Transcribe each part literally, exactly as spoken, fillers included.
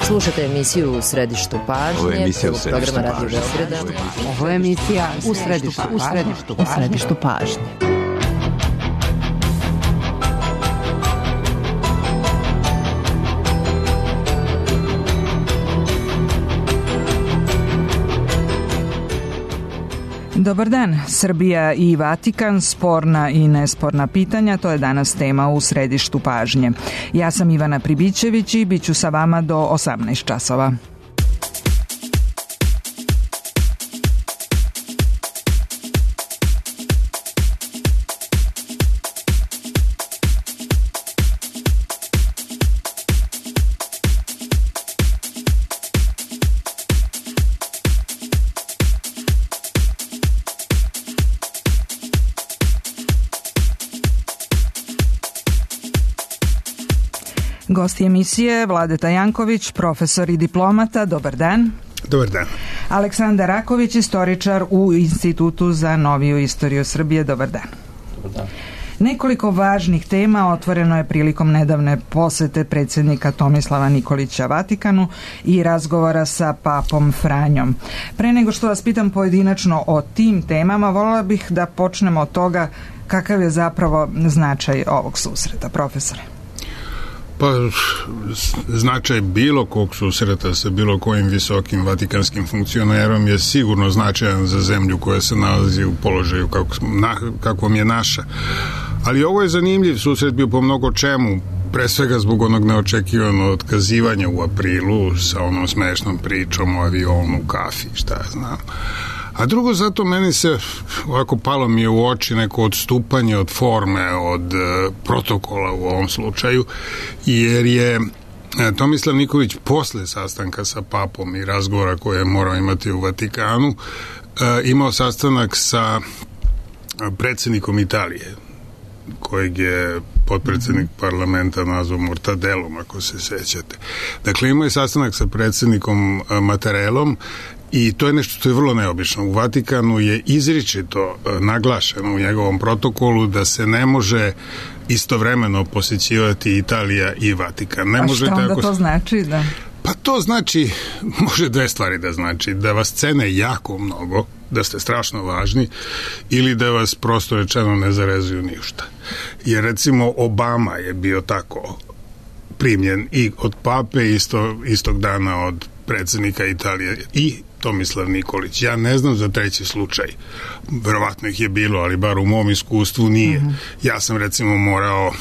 Slušate emisiju U središtu pažnje, prvog programa Radio Beograda. Ovo je emisija U središtu, u središtu, u središtu pažnje. Dobar dan. Srbija i Vatikan, sporna i nesporna pitanja, to je danas tema U središtu pažnje. Ja sam Ivana Pribićević i bit ću sa vama do osamnaest časova. Gosti emisije Vladeta Janković, profesor i diplomata. Dobar dan. Dobar dan. Aleksandar Raković, istoričar u Institutu za noviju istoriju Srbije. Dobar dan. Dobar dan. Nekoliko važnih tema otvoreno je prilikom nedavne posete predsjednika Tomislava Nikolića Vatikanu i razgovora sa papom Franjom. Pre nego što vas pitam pojedinačno o tim temama, voljela bih da počnemo od toga kakav je zapravo značaj ovog susreta, profesore. Pa, značaj bilo kog susreta sa bilo kojim visokim vatikanskim funkcionerom je sigurno značajan za zemlju koja se nalazi u položaju kako, na, kakvom je naša. Ali ovo je zanimljiv susret bio po mnogo čemu, pre svega zbog onog neočekivanog otkazivanja u aprilu sa onom smešnom pričom o avionu, kafi, šta ja znam. A drugo, zato meni se ovako palo mi je u oči neko odstupanje od forme, od e, protokola u ovom slučaju, jer je e, Tomislav Nikolić posle sastanka sa papom i razgovora koje je morao imati u Vatikanu e, imao sastanak sa predsjednikom Italije, kojeg je potpredsjednik parlamenta nazvao Mortadelom, ako se sećate. Dakle, imao je sastanak sa predsjednikom Mattarellom i to je nešto što je vrlo neobično. U Vatikanu je izričito naglašeno u njegovom protokolu da se ne može istovremeno posjećivati Italija i Vatikan. Ne A može što onda tako... to znači? Da? Pa to znači, može dve stvari da znači, da vas cene jako mnogo, da ste strašno važni, ili da vas prosto rečeno ne zarezuju ništa. Jer recimo Obama je bio tako primljen i od pape isto, istog dana od predsjednika Italije i Tomislav Nikolić. Ja ne znam za treći slučaj. Verovatno ih je bilo, ali bar u mom iskustvu nije. Mm-hmm. Ja sam recimo morao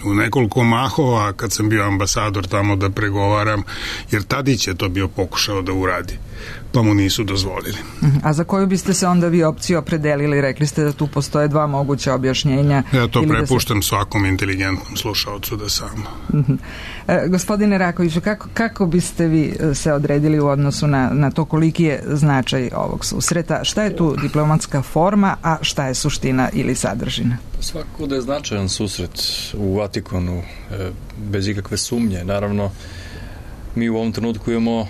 u nekoliko mahova kad sam bio ambasador tamo da pregovaram, jer Tadić je to bio pokušao da uradi, pa mu nisu dozvolili. A za koju biste se onda vi opciju opredelili? Rekli ste da tu postoje dva moguća objašnjenja. Ja to prepuštam da se... svakom inteligentnom slušaocu da sam. E, gospodine Rakoviću, kako, kako biste vi se odredili u odnosu na, na to koliki je značaj ovog susreta? Šta je tu diplomatska forma, a šta je suština ili sadržina? Svakako da je značajan susret u Vatikanu, e, bez ikakve sumnje. Naravno, mi u ovom trenutku imamo,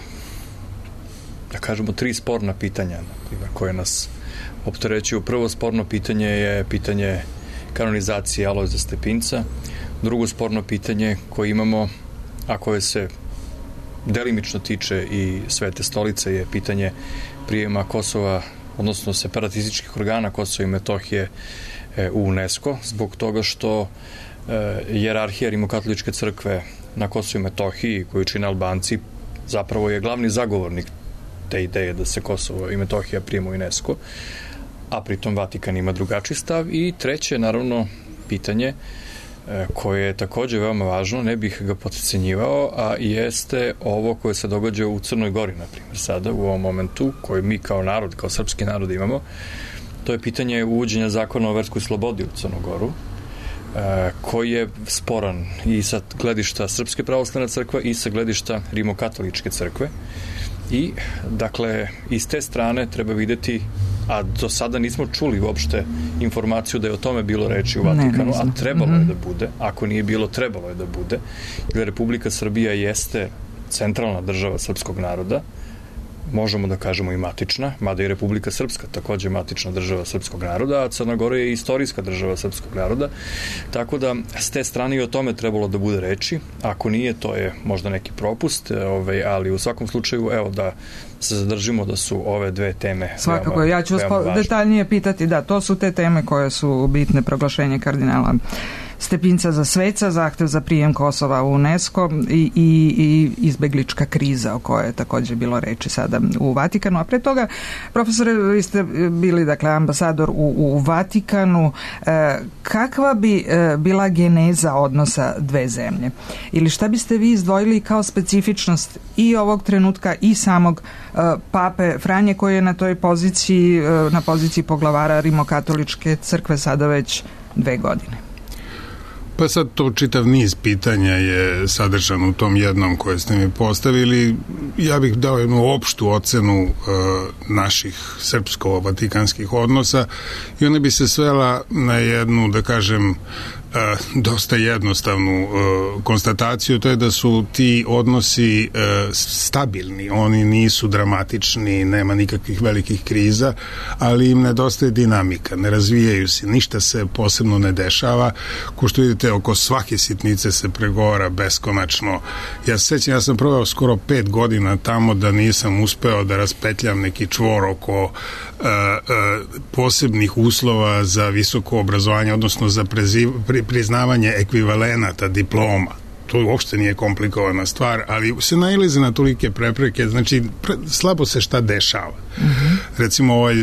da kažemo, tri sporna pitanja koje nas opterećuju. Prvo sporno pitanje je pitanje kanonizacije Alojza Stepinca. Drugo sporno pitanje koje imamo, a koje se delimično tiče i Svete stolice, je pitanje prijema Kosova, odnosno separatističkih organa Kosova i Metohije u UNESCO, zbog toga što e, jerarhija Rimokatoličke crkve na Kosovu i Metohiji, koju čine Albanci, zapravo je glavni zagovornik te ideje da se Kosovo i Metohija prijemu u UNESCO, a pritom Vatikan ima drugačiji stav. I treće, naravno, pitanje e, koje je također veoma važno, ne bih ga potcenjivao, a jeste ovo koje se događa u Crnoj Gori, na primjer, sada, u ovom momentu, koji mi kao narod, kao srpski narod imamo. To je pitanje uvođenja zakona o verskoj slobodi u Crnu Goru, e, koji je sporan i sa gledišta Srpske pravoslavne crkve i sa gledišta Rimokatoličke crkve. I, dakle, iz te strane treba videti, a do sada nismo čuli uopšte informaciju da je o tome bilo reči u Vatikanu, ne, a trebalo mm-hmm. je da bude. Ako nije bilo, trebalo je da bude. Jer Republika Srbija jeste centralna država srpskog naroda, možemo da kažemo i matična, mada i Republika Srpska takođe matična država srpskog naroda, a Crna Gora je istorijska država srpskog naroda, tako da s te strane i o tome trebalo da bude reči. Ako nije, to je možda neki propust, ovaj, ali u svakom slučaju, evo, da se zadržimo da su ove dve teme svakako, veoma, ja ću vas detaljnije pitati, da, to su te teme koje su bitne, proglašenje kardinala Stepinca za sveca, zahtev za prijem Kosova u UNESCO i, i, i izbeglička kriza o kojoj je također bilo reči sada u Vatikanu. A pre toga, profesore, vi ste bili, dakle, ambasador u, u Vatikanu. E, kakva bi e, bila geneza odnosa dve zemlje? Ili šta biste vi izdvojili kao specifičnost i ovog trenutka i samog e, pape Franje, koji je na toj poziciji, e, na poziciji poglavara Rimokatoličke crkve sada već dve godine? Pa sad to čitav niz pitanja je sadržan u tom jednom koje ste mi postavili. Ja bih dao jednu opštu ocenu e, naših srpsko-vatikanskih odnosa i ona bi se svela na jednu, da kažem, e, dosta jednostavnu e, konstataciju, to je da su ti odnosi e, stabilni, oni nisu dramatični, nema nikakvih velikih kriza, ali im nedostaje dinamika, ne razvijaju se, ništa se posebno ne dešava, ko što vidite oko svake sitnice se pregovara beskonačno. Ja se sećam, ja sam proveo skoro pet godina tamo da nisam uspeo da raspetljam neki čvor oko uh, uh, posebnih uslova za visoko obrazovanje, odnosno za preziv, pri, priznavanje ekvivalenata diploma. To uopšte nije komplikovana stvar, ali se nailaze na tolike prepreke, znači pre, slabo se šta dešava. Mm-hmm. Recimo ovaj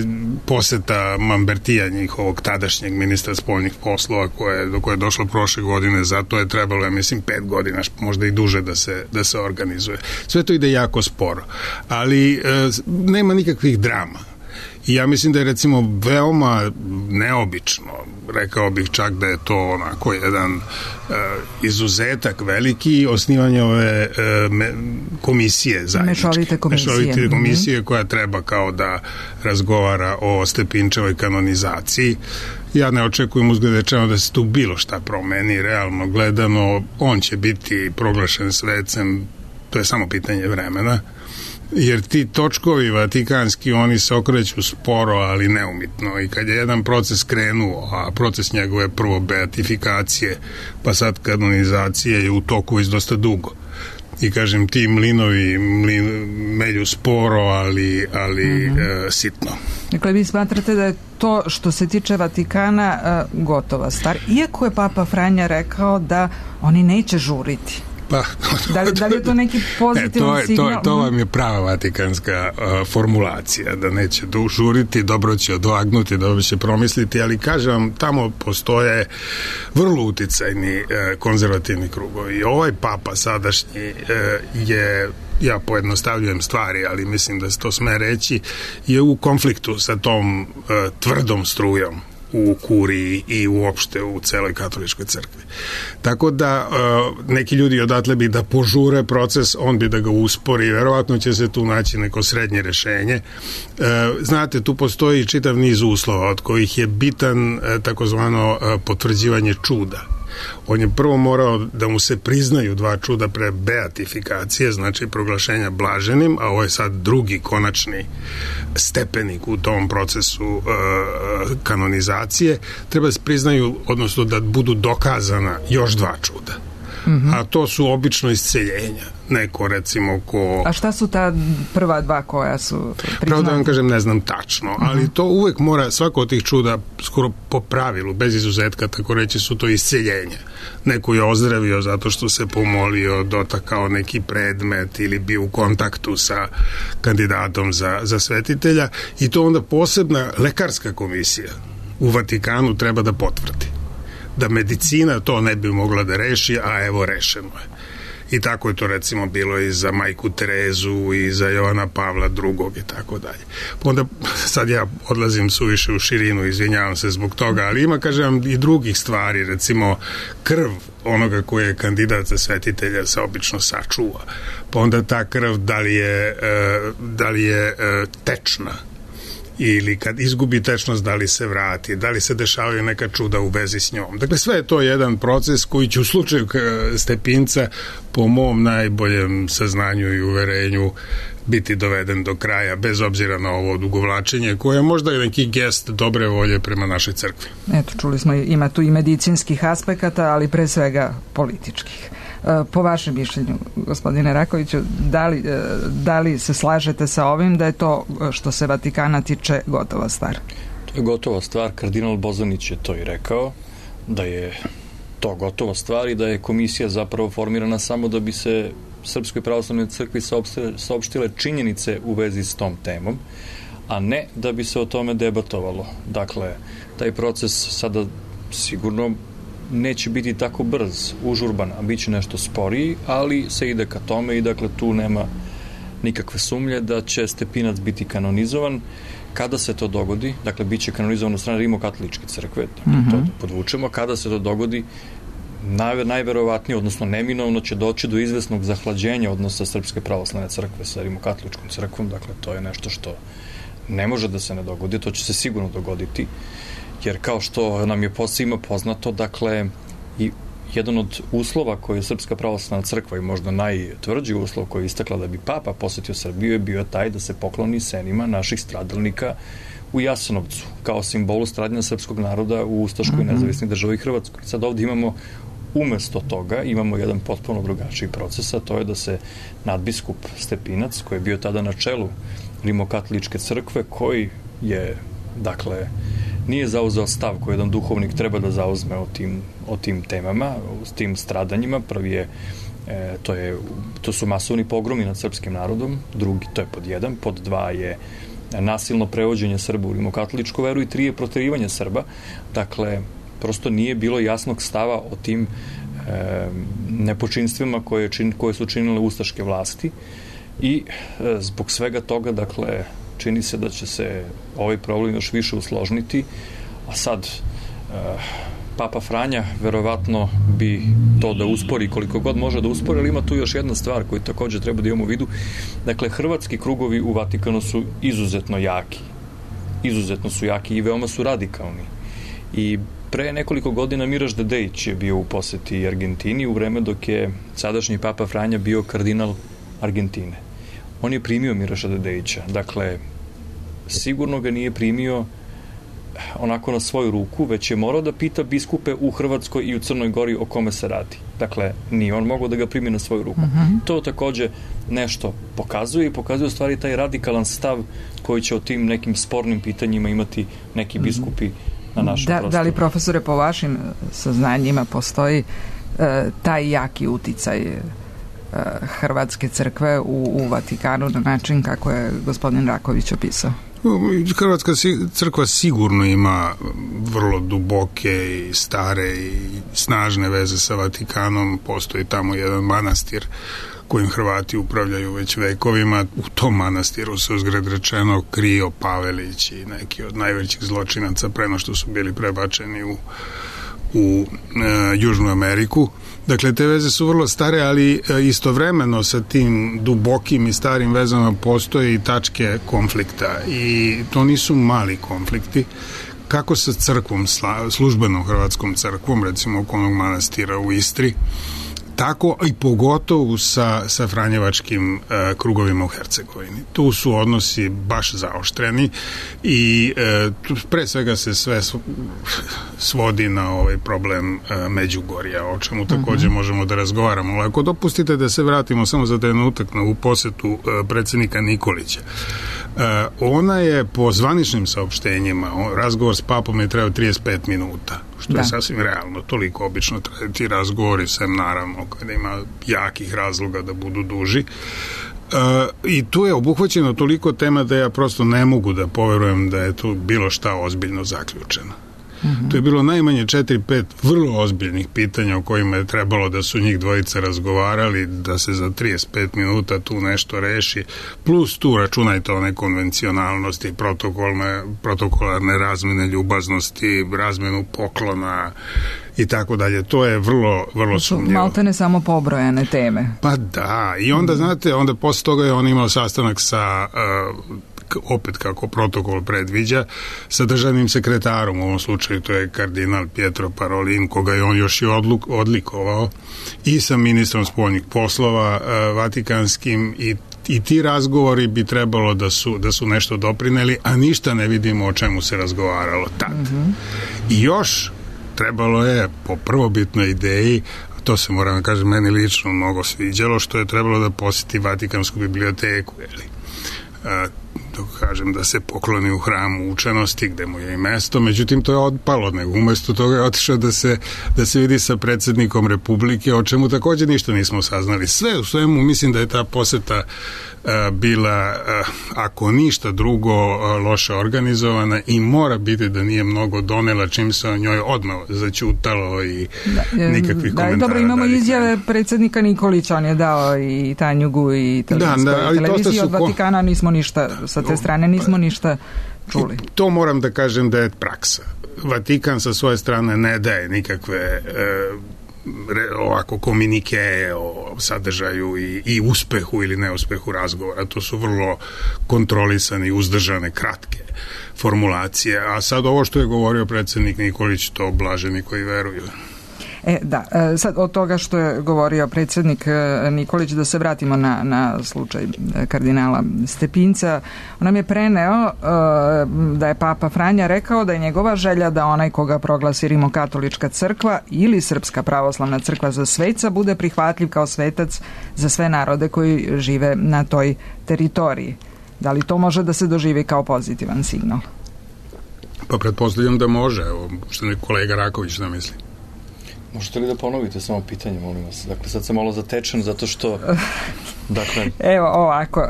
poseta Mambertija, njihovog tadašnjeg ministra spoljnih poslova, koje, do koje je došlo prošle godine, zato je trebalo, ja mislim, pet godina, možda i duže da se, da se organizuje. Sve to ide jako sporo, ali e, nema nikakvih drama. I ja mislim da je, recimo, veoma neobično, rekao bih čak da je to onako jedan e, izuzetak veliki, osnivanje ove e, me, komisije zajedničke. Mešovite komisije. Mešovite komisije, mm-hmm. koja treba kao da razgovara o Stepinčevoj kanonizaciji. Ja ne očekujem uzgledečeno da se tu bilo šta promeni, realno gledano, on će biti proglašen svecem, to je samo pitanje vremena. Jer ti točkovi vatikanski, oni se okreću sporo, ali neumitno. I kad je jedan proces krenuo, a proces njegove prvo beatifikacije, pa sad kanonizacije je u toku iz dosta dugo. I kažem, ti mlinovi mlin, melju sporo, ali, ali mm-hmm. e, sitno. Dakle, vi smatrate da je to što se tiče Vatikana e, gotova stvar. Iako je Papa Franja rekao da oni neće žuriti. Pa, da, li, da li je to neki pozitivan e, to, signal? To, to vam je prava vatikanska uh, formulacija, da neće žuriti, dobro će odvagnuti, dobro će promisliti, ali kažem vam, tamo postoje vrlo uticajni uh, konzervativni krugovi. I ovaj papa sadašnji uh, je, ja pojednostavljujem stvari, ali mislim da se to sme reći, je u konfliktu sa tom uh, tvrdom strujom u kuriji i uopšte u celoj katoličkoj crkvi. Tako da uh, neki ljudi odatle bi da požure proces, on bi da ga uspori, verovatno će se tu naći neko srednje rešenje. Uh, znate, tu postoji čitav niz uslova, od kojih je bitan uh, takozvano uh, potvrđivanje čuda. On je prvo morao da mu se priznaju dva čuda pre beatifikacije, znači proglašenja blaženim, a ovo je sad drugi konačni stepenik u tom procesu uh, kanonizacije. Treba se priznaju, odnosno da budu dokazana još dva čuda. Mm-hmm. A to su obično isceljenja. Neko, recimo, ko... A šta su ta prva dva koja su priznati? Pravo da vam kažem, ne znam tačno, mm-hmm. ali to uvek mora, svako od tih čuda, skoro po pravilu, bez izuzetka, tako reći, su to isceljenja. Neko je ozdravio zato što se pomolio, dotakao neki predmet ili bio u kontaktu sa kandidatom za, za svetitelja, i to onda posebna lekarska komisija u Vatikanu treba da potvrdi. Da medicina to ne bi mogla da reši, a evo rešeno je. I tako je to, recimo, bilo i za majku Terezu i za Jovana Pavla drugog i tako dalje. Onda sad ja odlazim suviše u širinu, izvinjavam se zbog toga, ali ima, kažem, i drugih stvari, recimo krv onoga koji je kandidat za svetitelja se obično sačuva. Pa onda ta krv, da li je, da li je tečna ili kad izgubi tečnost, da li se vrati, da li se dešavaju neka čuda u vezi s njom. Dakle, sve je to jedan proces koji će u slučaju Stepinca, po mom najboljem saznanju i uverenju, biti doveden do kraja, bez obzira na ovo odugovlačenje, koje je možda i neki gest dobre volje prema našoj crkvi. Eto, čuli smo, ima tu i medicinskih aspekata, ali pre svega političkih. Po vašem mišljenju, gospodine Rakoviću, da li, da li se slažete sa ovim da je to što se Vatikana tiče gotova stvar? To je gotova stvar. Kardinal Bozanić je to i rekao, da je to gotova stvar i da je komisija zapravo formirana samo da bi se Srpskoj pravoslavnoj crkvi saopštile činjenice u vezi s tom temom, a ne da bi se o tome debatovalo. Dakle, taj proces sada sigurno neće biti tako brz, užurban, a bit će nešto sporiji, ali se ide ka tome i dakle tu nema nikakve sumnje da će Stepinac biti kanonizovan. Kada se to dogodi, dakle bit će kanonizovan od strane Rimokatoličke crkve, dakle, mm-hmm. to podvučemo, kada se to dogodi, naj, najverovatnije, odnosno neminovno će doći do izvesnog zahlađenja odnosa Srpske pravoslavne crkve sa Rimokatoličkom crkvom, dakle to je nešto što ne može da se ne dogodi, to će se sigurno dogoditi, jer kao što nam je svima poznato, dakle, i jedan od uslova koje je Srpska pravoslavna crkva i možda najtvrđi uslov koji je istakla da bi Papa posetio Srbiju je bio taj da se pokloni senima naših stradalnika u Jasenovcu, kao simbolu stradanja srpskog naroda u ustaškoj mm-hmm. nezavisnoj državi Hrvatskoj. Sad ovdje imamo, umesto toga, imamo jedan potpuno drugačiji proces, a to je da se nadbiskup Stepinac, koji je bio tada na čelu Rimokatoličke crkve, koji je, dakle, nije zauzeo stav koji jedan duhovnik treba da zauzme o tim, o tim temama, o tim stradanjima. Prvi je, e, to je, to su masovni pogromi nad srpskim narodom, drugi, to je pod jedan, pod dva je nasilno prevođenje Srba u rimokatoličku veru i tri je proterivanje Srba. Dakle, prosto nije bilo jasnog stava o tim e, nepočinstvima koje, čin, koje su činile ustaške vlasti i e, zbog svega toga, dakle, čini se da će se ovaj problem još više usložniti, a sad e, Papa Franja verovatno bi to da uspori koliko god može da uspori, ali ima tu još jedna stvar koju također treba da imamo u vidu. Dakle, hrvatski krugovi u Vatikanu su izuzetno jaki. Izuzetno su jaki i veoma su radikalni. I pre nekoliko godina Miraš Dedejić je bio u poseti Argentini u vreme dok je sadašnji Papa Franja bio kardinal Argentine. On je primio Miraša Dedejića. Dakle, sigurno ga nije primio onako na svoju ruku, već je morao da pita biskupe u Hrvatskoj i u Crnoj Gori o kome se radi. Dakle, nije on mogao da ga primi na svoju ruku. Uh-huh. To također nešto pokazuje i pokazuje u stvari taj radikalan stav koji će o tim nekim spornim pitanjima imati neki biskupi na našem da, prostoru. Da li, profesore, po vašim saznanjima postoji uh, taj jaki uticaj uh, Hrvatske crkve u, u Vatikanu na način kako je gospodin Raković opisao? Hrvatska crkva sigurno ima vrlo duboke i stare i snažne veze sa Vatikanom. Postoji tamo jedan manastir kojim Hrvati upravljaju već vekovima. U tom manastiru se uzgred rečeno krio Pavelić i neki od najvećih zločinaca preno što su bili prebačeni u, u e, Južnu Ameriku. Dakle, te veze su vrlo stare, ali istovremeno sa tim dubokim i starim vezama postoje i tačke konflikta i to nisu mali konflikti. Kako sa crkvom, službenom hrvatskom crkvom, recimo oko onog manastira u Istri, tako i pogotovo sa, sa franjevačkim e, krugovima u Hercegovini. Tu su odnosi baš zaoštreni i e, tu pre svega se sve svodi na ovaj problem e, Međugorja, o čemu također uh-huh. možemo da razgovaramo. Ali ako dopustite da se vratimo samo za trenutak na u posetu e, predsjednika Nikolića. E, ona je po zvaničnim saopštenjima, razgovor s papom je trebao trideset pet minuta, što da. je sasvim realno. Toliko obično traju ti razgovori, sem naravno kada ima jakih razloga da budu duži. E, I tu je obuhvaćeno toliko tema da ja prosto ne mogu da poverujem da je tu bilo šta ozbiljno zaključeno. Mm-hmm. To je bilo najmanje četiri pet vrlo ozbiljnih pitanja o kojima je trebalo da su njih dvojica razgovarali, da se za trideset pet minuta tu nešto reši, plus tu računajte one konvencionalnosti, protokolne, protokolarne razmene ljubaznosti, razmenu poklona i tako dalje. To je vrlo, vrlo sumnjivo. Malte ne samo pobrojane teme. Pa da, i onda, mm. znate, onda posle toga je on imao sastanak sa uh, opet kako protokol predviđa, sa državnim sekretarom, u ovom slučaju to je kardinal Pietro Parolin, koga je on još i odluk, odlikovao, i sa ministrom spoljnih poslova uh, vatikanskim, i i ti razgovori bi trebalo da su, da su nešto doprineli, a ništa ne vidimo o čemu se razgovaralo tad. Mm-hmm. I još trebalo je po prvobitnoj ideji, to se moram da kažem, meni lično mnogo sviđalo, što je trebalo da posjeti Vatikansku biblioteku, jeli? A, da kažem, da se pokloni u hramu učenosti, gde mu je i mesto, međutim to je odpalo, nego umesto toga je otišao da se, da se vidi sa predsjednikom Republike, o čemu također ništa nismo saznali. Sve u svemu mislim da je ta poseta a, bila, a, ako ništa drugo, a, loše organizovana, i mora biti da nije mnogo donela, čim se o njoj odmah začutalo i da, nikakvih da, komentara. Dobro, imamo izjave predsjednika Nikolića, on je dao i Tanjugu i televizijskoj da, da, televiziji od Vatikana, nismo ništa sa te strane, nismo ništa čuli. To moram da kažem da je praksa. Vatikan sa svoje strane ne daje nikakve e, re, ovako komunike o sadržaju i, i uspehu ili neuspehu razgovora. To su vrlo kontrolisane i uzdržane, kratke formulacije. A sad ovo što je govorio predsjednik Nikolić, to blaženi koji veruju. E, da, sad od toga što je govorio predsjednik Nikolić, da se vratimo na, na slučaj kardinala Stepinca. On nam je preneo da je Papa Franja rekao da je njegova želja da onaj koga proglasi Rimokatolička crkva ili Srpska pravoslavna crkva za sveca bude prihvatljiv kao svetac za sve narode koji žive na toj teritoriji. Da li to može da se doživi kao pozitivan signal? Pa pretpostavljam da može. Evo, što je kolega Raković da misli. Možete li da ponovite samo pitanje, molim vas? Dakle, sad sam malo zatečen zato što... Dakle... Evo, ovako,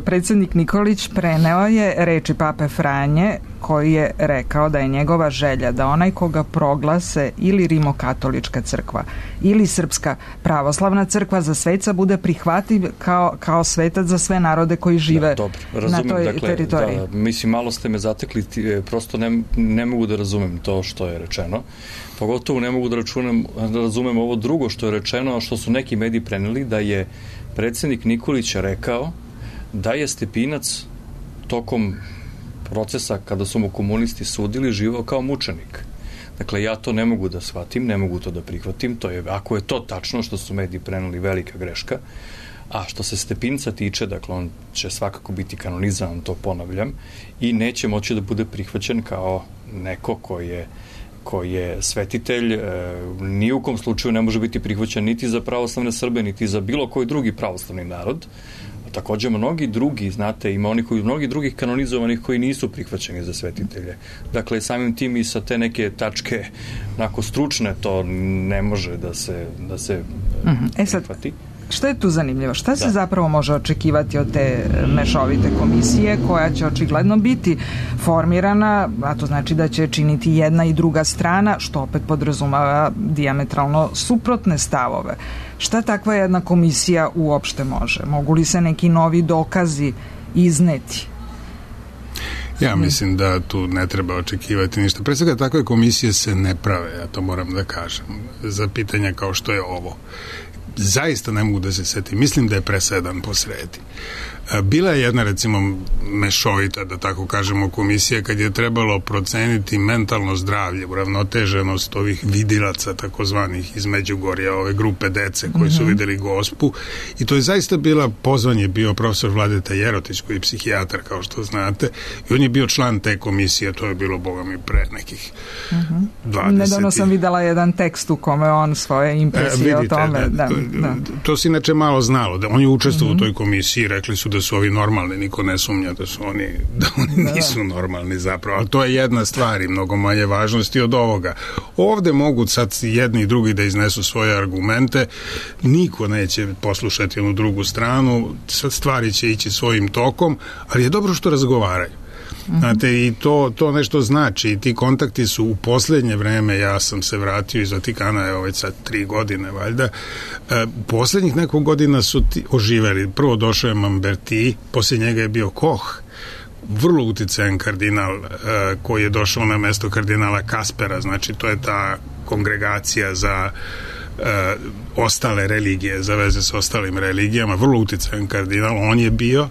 predsjednik Nikolić preneo je reči Pape Franje, koji je rekao da je njegova želja da onaj koga proglase ili Rimokatolička crkva ili Srpska pravoslavna crkva za sveca bude prihvatljiv kao, kao svetac za sve narode koji žive da, dobro, razumem, na toj dakle, teritoriji. Da, mislim, malo ste me zatekli, prosto ne, ne mogu da razumem to što je rečeno. Pogotovo ne mogu da, računam, da razumem ovo drugo što je rečeno, a što su neki mediji preneli, da je predsjednik Nikolić rekao da je Stepinac tokom procesa kada su mu komunisti sudili živao kao mučenik. Dakle, ja to ne mogu da shvatim, ne mogu to da prihvatim, to je, ako je to tačno što su mediji preneli, velika greška. A što se Stepinca tiče, dakle, on će svakako biti kanonizovan, to ponavljam, i neće moći da bude prihvaćen kao neko koji je koji je svetitelj, e, ni u kom slučaju ne može biti prihvaćen niti za pravoslavne Srbe, niti za bilo koji drugi pravoslavni narod. A također mnogi drugi, znate, ima oni koji, mnogi drugih kanonizovanih koji nisu prihvaćeni za svetitelje. Dakle, samim tim i sa te neke tačke onako stručne to ne može da se, da se mm-hmm. e, prihvati. Što je tu zanimljivo? Šta se da. zapravo može očekivati od te mešovite komisije koja će očigledno biti formirana, a to znači da će činiti jedna i druga strana, što opet podrazumava dijametralno suprotne stavove. Šta takva jedna komisija uopšte može? Mogu li se neki novi dokazi izneti? Ja mislim da tu ne treba očekivati ništa. Pre svega takve komisije se ne prave, ja to moram da kažem, za pitanja kao što je ovo. Zaista ne mogu da se setim. Mislim da je presedan po sredi. Bila je jedna, recimo, mešovita, da tako kažemo, komisija kad je trebalo proceniti mentalno zdravlje, uravnoteženost ovih vidilaca, takozvanih iz Međugorja, ove grupe dece koji su videli Gospu, i to je zaista bila, pozvan je bio profesor Vladeta Jerotić, koji je psihijatar, kao što znate, i on je bio član te komisije, to je bilo, boga mi, pre nekih uh-huh. dvadeset. Nedavno sam videla jedan tekst u kome on svoje impresije e, vidite, o tome. Da, to, da. to se inače malo znalo, da on je učestvovao uh-huh. u toj komisiji, rekli su da su ovi normalni, niko ne sumnja da su oni, da oni da, nisu normalni zapravo, ali to je jedna stvar i mnogo manje važnosti od ovoga. Ovde mogu sad jedni i drugi da iznesu svoje argumente, niko neće poslušati onu drugu stranu, sad stvari će ići svojim tokom, ali je dobro što razgovaraju. Znate, i to, to nešto znači, i ti kontakti su u posljednje vreme, ja sam se vratio iz Vatikana, evo već sad tri godine valjda, e, posljednjih nekog godina su ti oživeli. Prvo došao je Mamberti, poslije njega je bio Koch, vrlo uticajan kardinal, e, koji je došao na mesto kardinala Kaspera, znači to je ta kongregacija za e, ostale religije, za veze s ostalim religijama, vrlo uticajan kardinal, on je bio.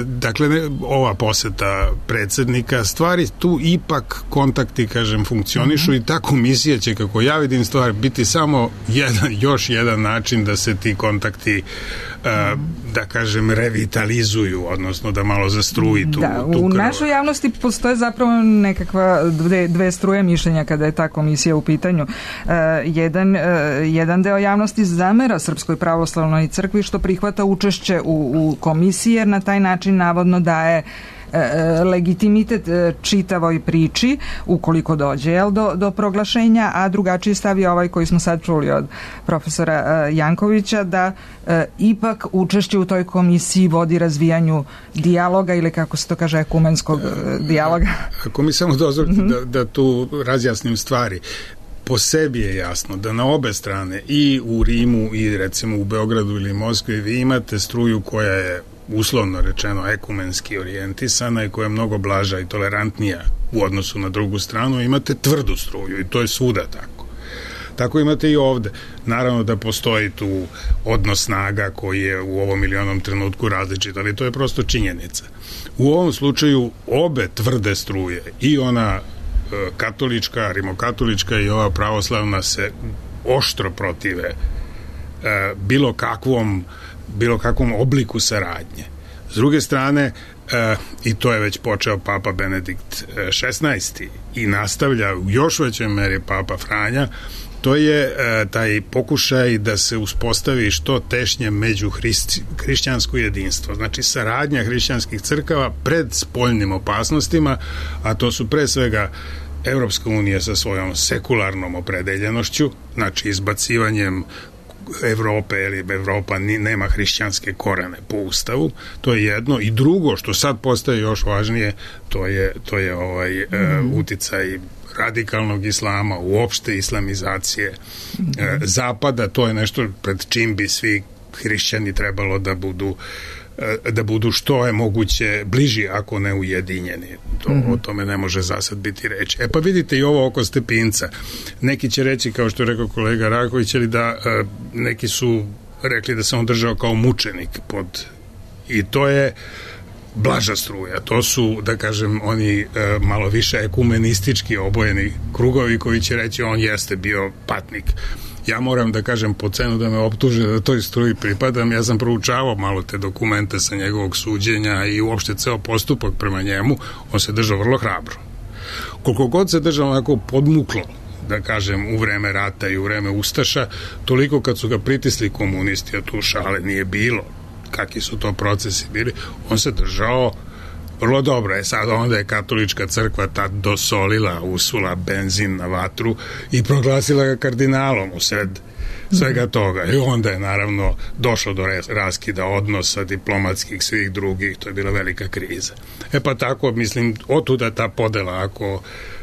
Dakle, ova poseta predsjednika, stvari tu ipak kontakti, kažem, funkcionišu mm-hmm. i ta komisija će, kako ja vidim stvar, biti samo jedan, još jedan način da se ti kontakti uh, da kažem revitalizuju, odnosno da malo zastruji tu, da, tu u krv. našoj javnosti postoje zapravo nekakva dve, dve struje mišljenja kada je ta komisija u pitanju. Uh, jedan, uh, jedan deo javnosti zamera Srpskoj pravoslavnoj crkvi što prihvata učešće u, u komisiji, jer na taj način navodno daje legitimitet čitavoj priči ukoliko dođe jel, do, do proglašenja, a drugačiji stav je ovaj koji smo sad čuli od profesora Jankovića, da e, ipak učešće u toj komisiji vodi razvijanju dijaloga ili kako se to kaže ekumenskog e, dijaloga. Ako mi samo dozvolite mm-hmm. da, da tu razjasnim stvari, po sebi je jasno da na obe strane i u Rimu i recimo u Beogradu ili Moskvi vi imate struju koja je uslovno rečeno ekumenski orijentisana i koja je mnogo blaža i tolerantnija u odnosu na drugu stranu, imate tvrdu struju i to je svuda tako. Tako imate i ovde. Naravno da postoji tu odnos snaga koji je u ovom ili onom trenutku različit, ali to je prosto činjenica. U ovom slučaju obe tvrde struje, i ona e, katolička, rimokatolička i ova pravoslavna, se oštro protive e, bilo kakvom bilo kakvom obliku saradnje. S druge strane, e, i to je već počeo Papa Benedikt šesnaesti i nastavlja u još većoj meri Papa Franja, to je e, taj pokušaj da se uspostavi što tešnje među hrišć, hrišćansko jedinstvo. Znači saradnja hrišćanskih crkava pred spoljnim opasnostima, a to su pre svega Evropska unija sa svojom sekularnom opredeljenošću, znači izbacivanjem Evrope, ili Evropa nema hrišćanske korene po ustavu, to je jedno, i drugo što sad postaje još važnije, to je, to je ovaj mm. e, uticaj radikalnog islama, uopšte islamizacije mm. e, zapada, to je nešto pred čim bi svi hrišćani trebalo da budu da budu što je moguće bliži, ako ne ujedinjeni. To, mm-hmm. O tome ne može zasad biti reći. E pa vidite i ovo oko Stepinca. Neki će reći, kao što je rekao kolega Raković, ali da e, neki su rekli da se on držao kao mučenik pod... I to je blaža struja. To su, da kažem, oni e, malo više ekumenistički obojeni krugovi koji će reći on jeste bio patnik. Ja moram da kažem po cenu da me optuže da toj struji pripadam. Ja sam proučavao malo te dokumente sa njegovog suđenja i uopšte ceo postupak prema njemu. On se držao vrlo hrabro. Koliko god se držao onako podmuklo, da kažem, u vreme rata i u vreme Ustaša, toliko kad su ga pritisli komunisti, a tu šale nije bilo, kakvi su to procesi bili, on se držao vrlo dobro. Je sad onda je katolička crkva tad dosolila, usula benzin na vatru i proglasila ga kardinalom u sred svega toga. I onda je naravno došlo do raskida odnosa diplomatskih, svih drugih, to je bila velika kriza. E pa tako, mislim, otuda ta podela, ako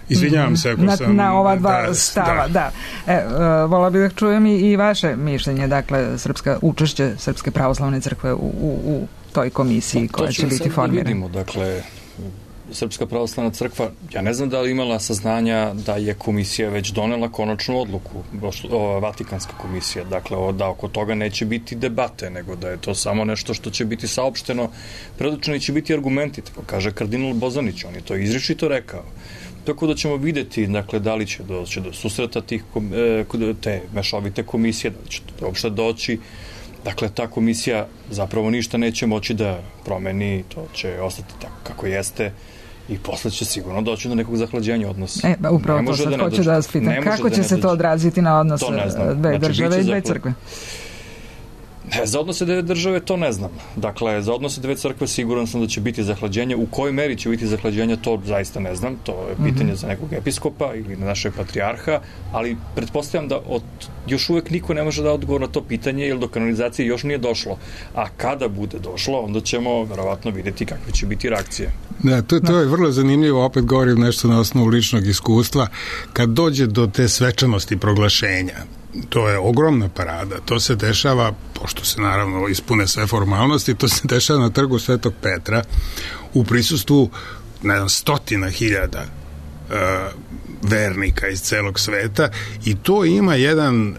izvinjavam se ako na, sam... Na ova dva da, stava, da. da. E, uh, vola bih da čujem i, i vaše mišljenje, dakle, srpska, učešće Srpske pravoslavne crkve u, u, u toj komisiji koja će biti formirana. Da vidimo, dakle, Srpska pravoslavna crkva, ja ne znam da li imala saznanja da je komisija već donela konačnu odluku, o, Vatikanska komisija, dakle, o, da oko toga neće biti debate, nego da je to samo nešto što će biti saopšteno, predočeni će biti argumenti, tako kaže kardinal Bozanić, on je to izričito rekao. Tako da ćemo vidjeti, dakle, da li će doći do susreta tih, te mešovite komisije, da li će to uopšte doći. Dakle, ta komisija zapravo ništa neće moći da promeni, to će ostati tako kako jeste i posle će sigurno doći do nekog zahlađenja odnosa. E, ba, upravo ne to sad da hoću da vas pitam. Kako će da se to odraziti na odnos dve znači, države i dve crkve? Ne, za odnose dve države to ne znam. Dakle, za odnose dve crkve siguran sam da će biti zahlađenje. U kojoj meri će biti zahlađenje, to zaista ne znam. To je pitanje mm-hmm. za nekog episkopa ili na našeg patrijarha, ali pretpostavljam da od, još uvek niko ne može da odgovor na to pitanje, jer do kanonizacije još nije došlo. A kada bude došlo, onda ćemo verovatno vidjeti kakve će biti reakcije. Da, to, to je vrlo zanimljivo, opet govorim nešto na osnovu ličnog iskustva. Kad dođe do te svečanosti proglašenja, to je ogromna parada, to se dešava, pošto se naravno ispune sve formalnosti, to se dešava na trgu Svetog Petra u prisustvu, ne znam, stotina hiljada uh, vernika iz celog sveta, i to ima jedan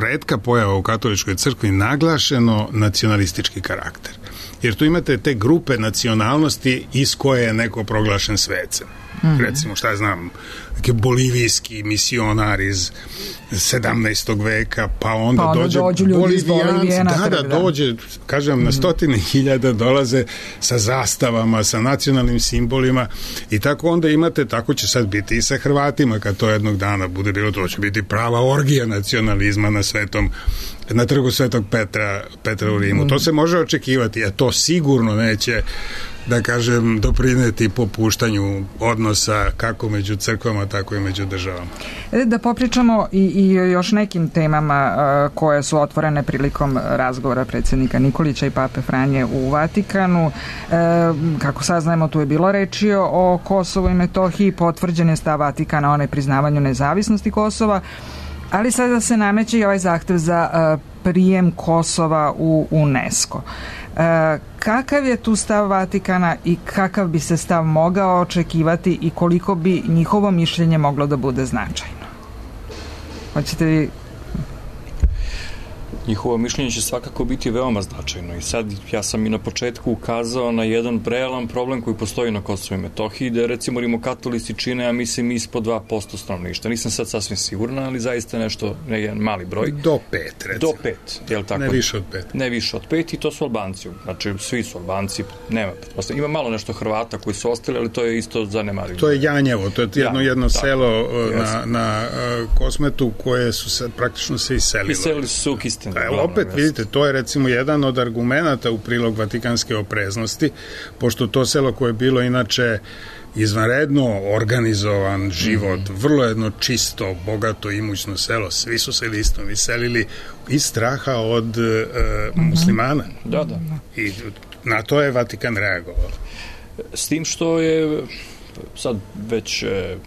retka pojava u katoličkoj crkvi, naglašeno nacionalistički karakter. jer tu imate te grupe nacionalnosti iz koje je neko proglašen svecem. Mm-hmm. Recimo, šta ja znam, neki bolivijski misionar iz sedamnaestog veka, pa onda, pa onda dođe Bolivijanci, da, da, da, dođe, kažem, mm-hmm. na stotine hiljada dolaze sa zastavama, sa nacionalnim simbolima i tako onda imate, tako će sad biti i sa Hrvatima, kad to jednog dana bude bilo, to će biti prava orgija nacionalizma na svetom, na trgu Svetog Petra, Petra u Rimu. Mm-hmm. To se može očekivati, a to sigurno neće, da kažem, doprineti popuštanju odnosa kako među crkvama, tako i među državama. Da popričamo i, i još nekim temama uh, koje su otvorene prilikom razgovora predsjednika Nikolića i Pape Franje u Vatikanu. Uh, kako saznajemo, tu je bilo reči o Kosovu i Metohiji, potvrđen je stav Vatikana o nepriznavanju nezavisnosti Kosova, ali sada se nameće i ovaj zahtev za uh, prijem Kosova u UNESCO. E, kakav je tu stav Vatikana i kakav bi se stav mogao očekivati i koliko bi njihovo mišljenje moglo da bude značajno? Hoćete vi... Njihovo mišljenje će svakako biti veoma značajno i sad ja sam i na početku ukazao na jedan realan problem koji postoji na Kosovu i Metohiji, da recimo rimokatolici čine, ja mislim, ispod dva posto stanovništva. Nisam sad sasvim sigurna, ali zaista nešto, ne jedan mali broj. Do pet, recimo. Do pet, je li tako? Ne više od pet. Ne više od pet i to su Albanci. Znači, svi su Albanci, nema pretpostavljanja. Ima malo nešto Hrvata koji su ostali, ali to je isto zanemarivo. To je Janjevo, to je jedno, jedno tako, selo na, na Kosmetu koje su se praktično se iselilo. Iselili su u Kisten. Pa, opet vidite, to je recimo jedan od argumenata u prilog vatikanske opreznosti, pošto to selo koje je bilo inače izvanredno organizovan život, mm-hmm. vrlo jedno čisto, bogato, imućno selo, svi su se isto iselili iz straha od e, mm-hmm. muslimana. Da, da. I na to je Vatikan reagovao. S tim što je sad već e,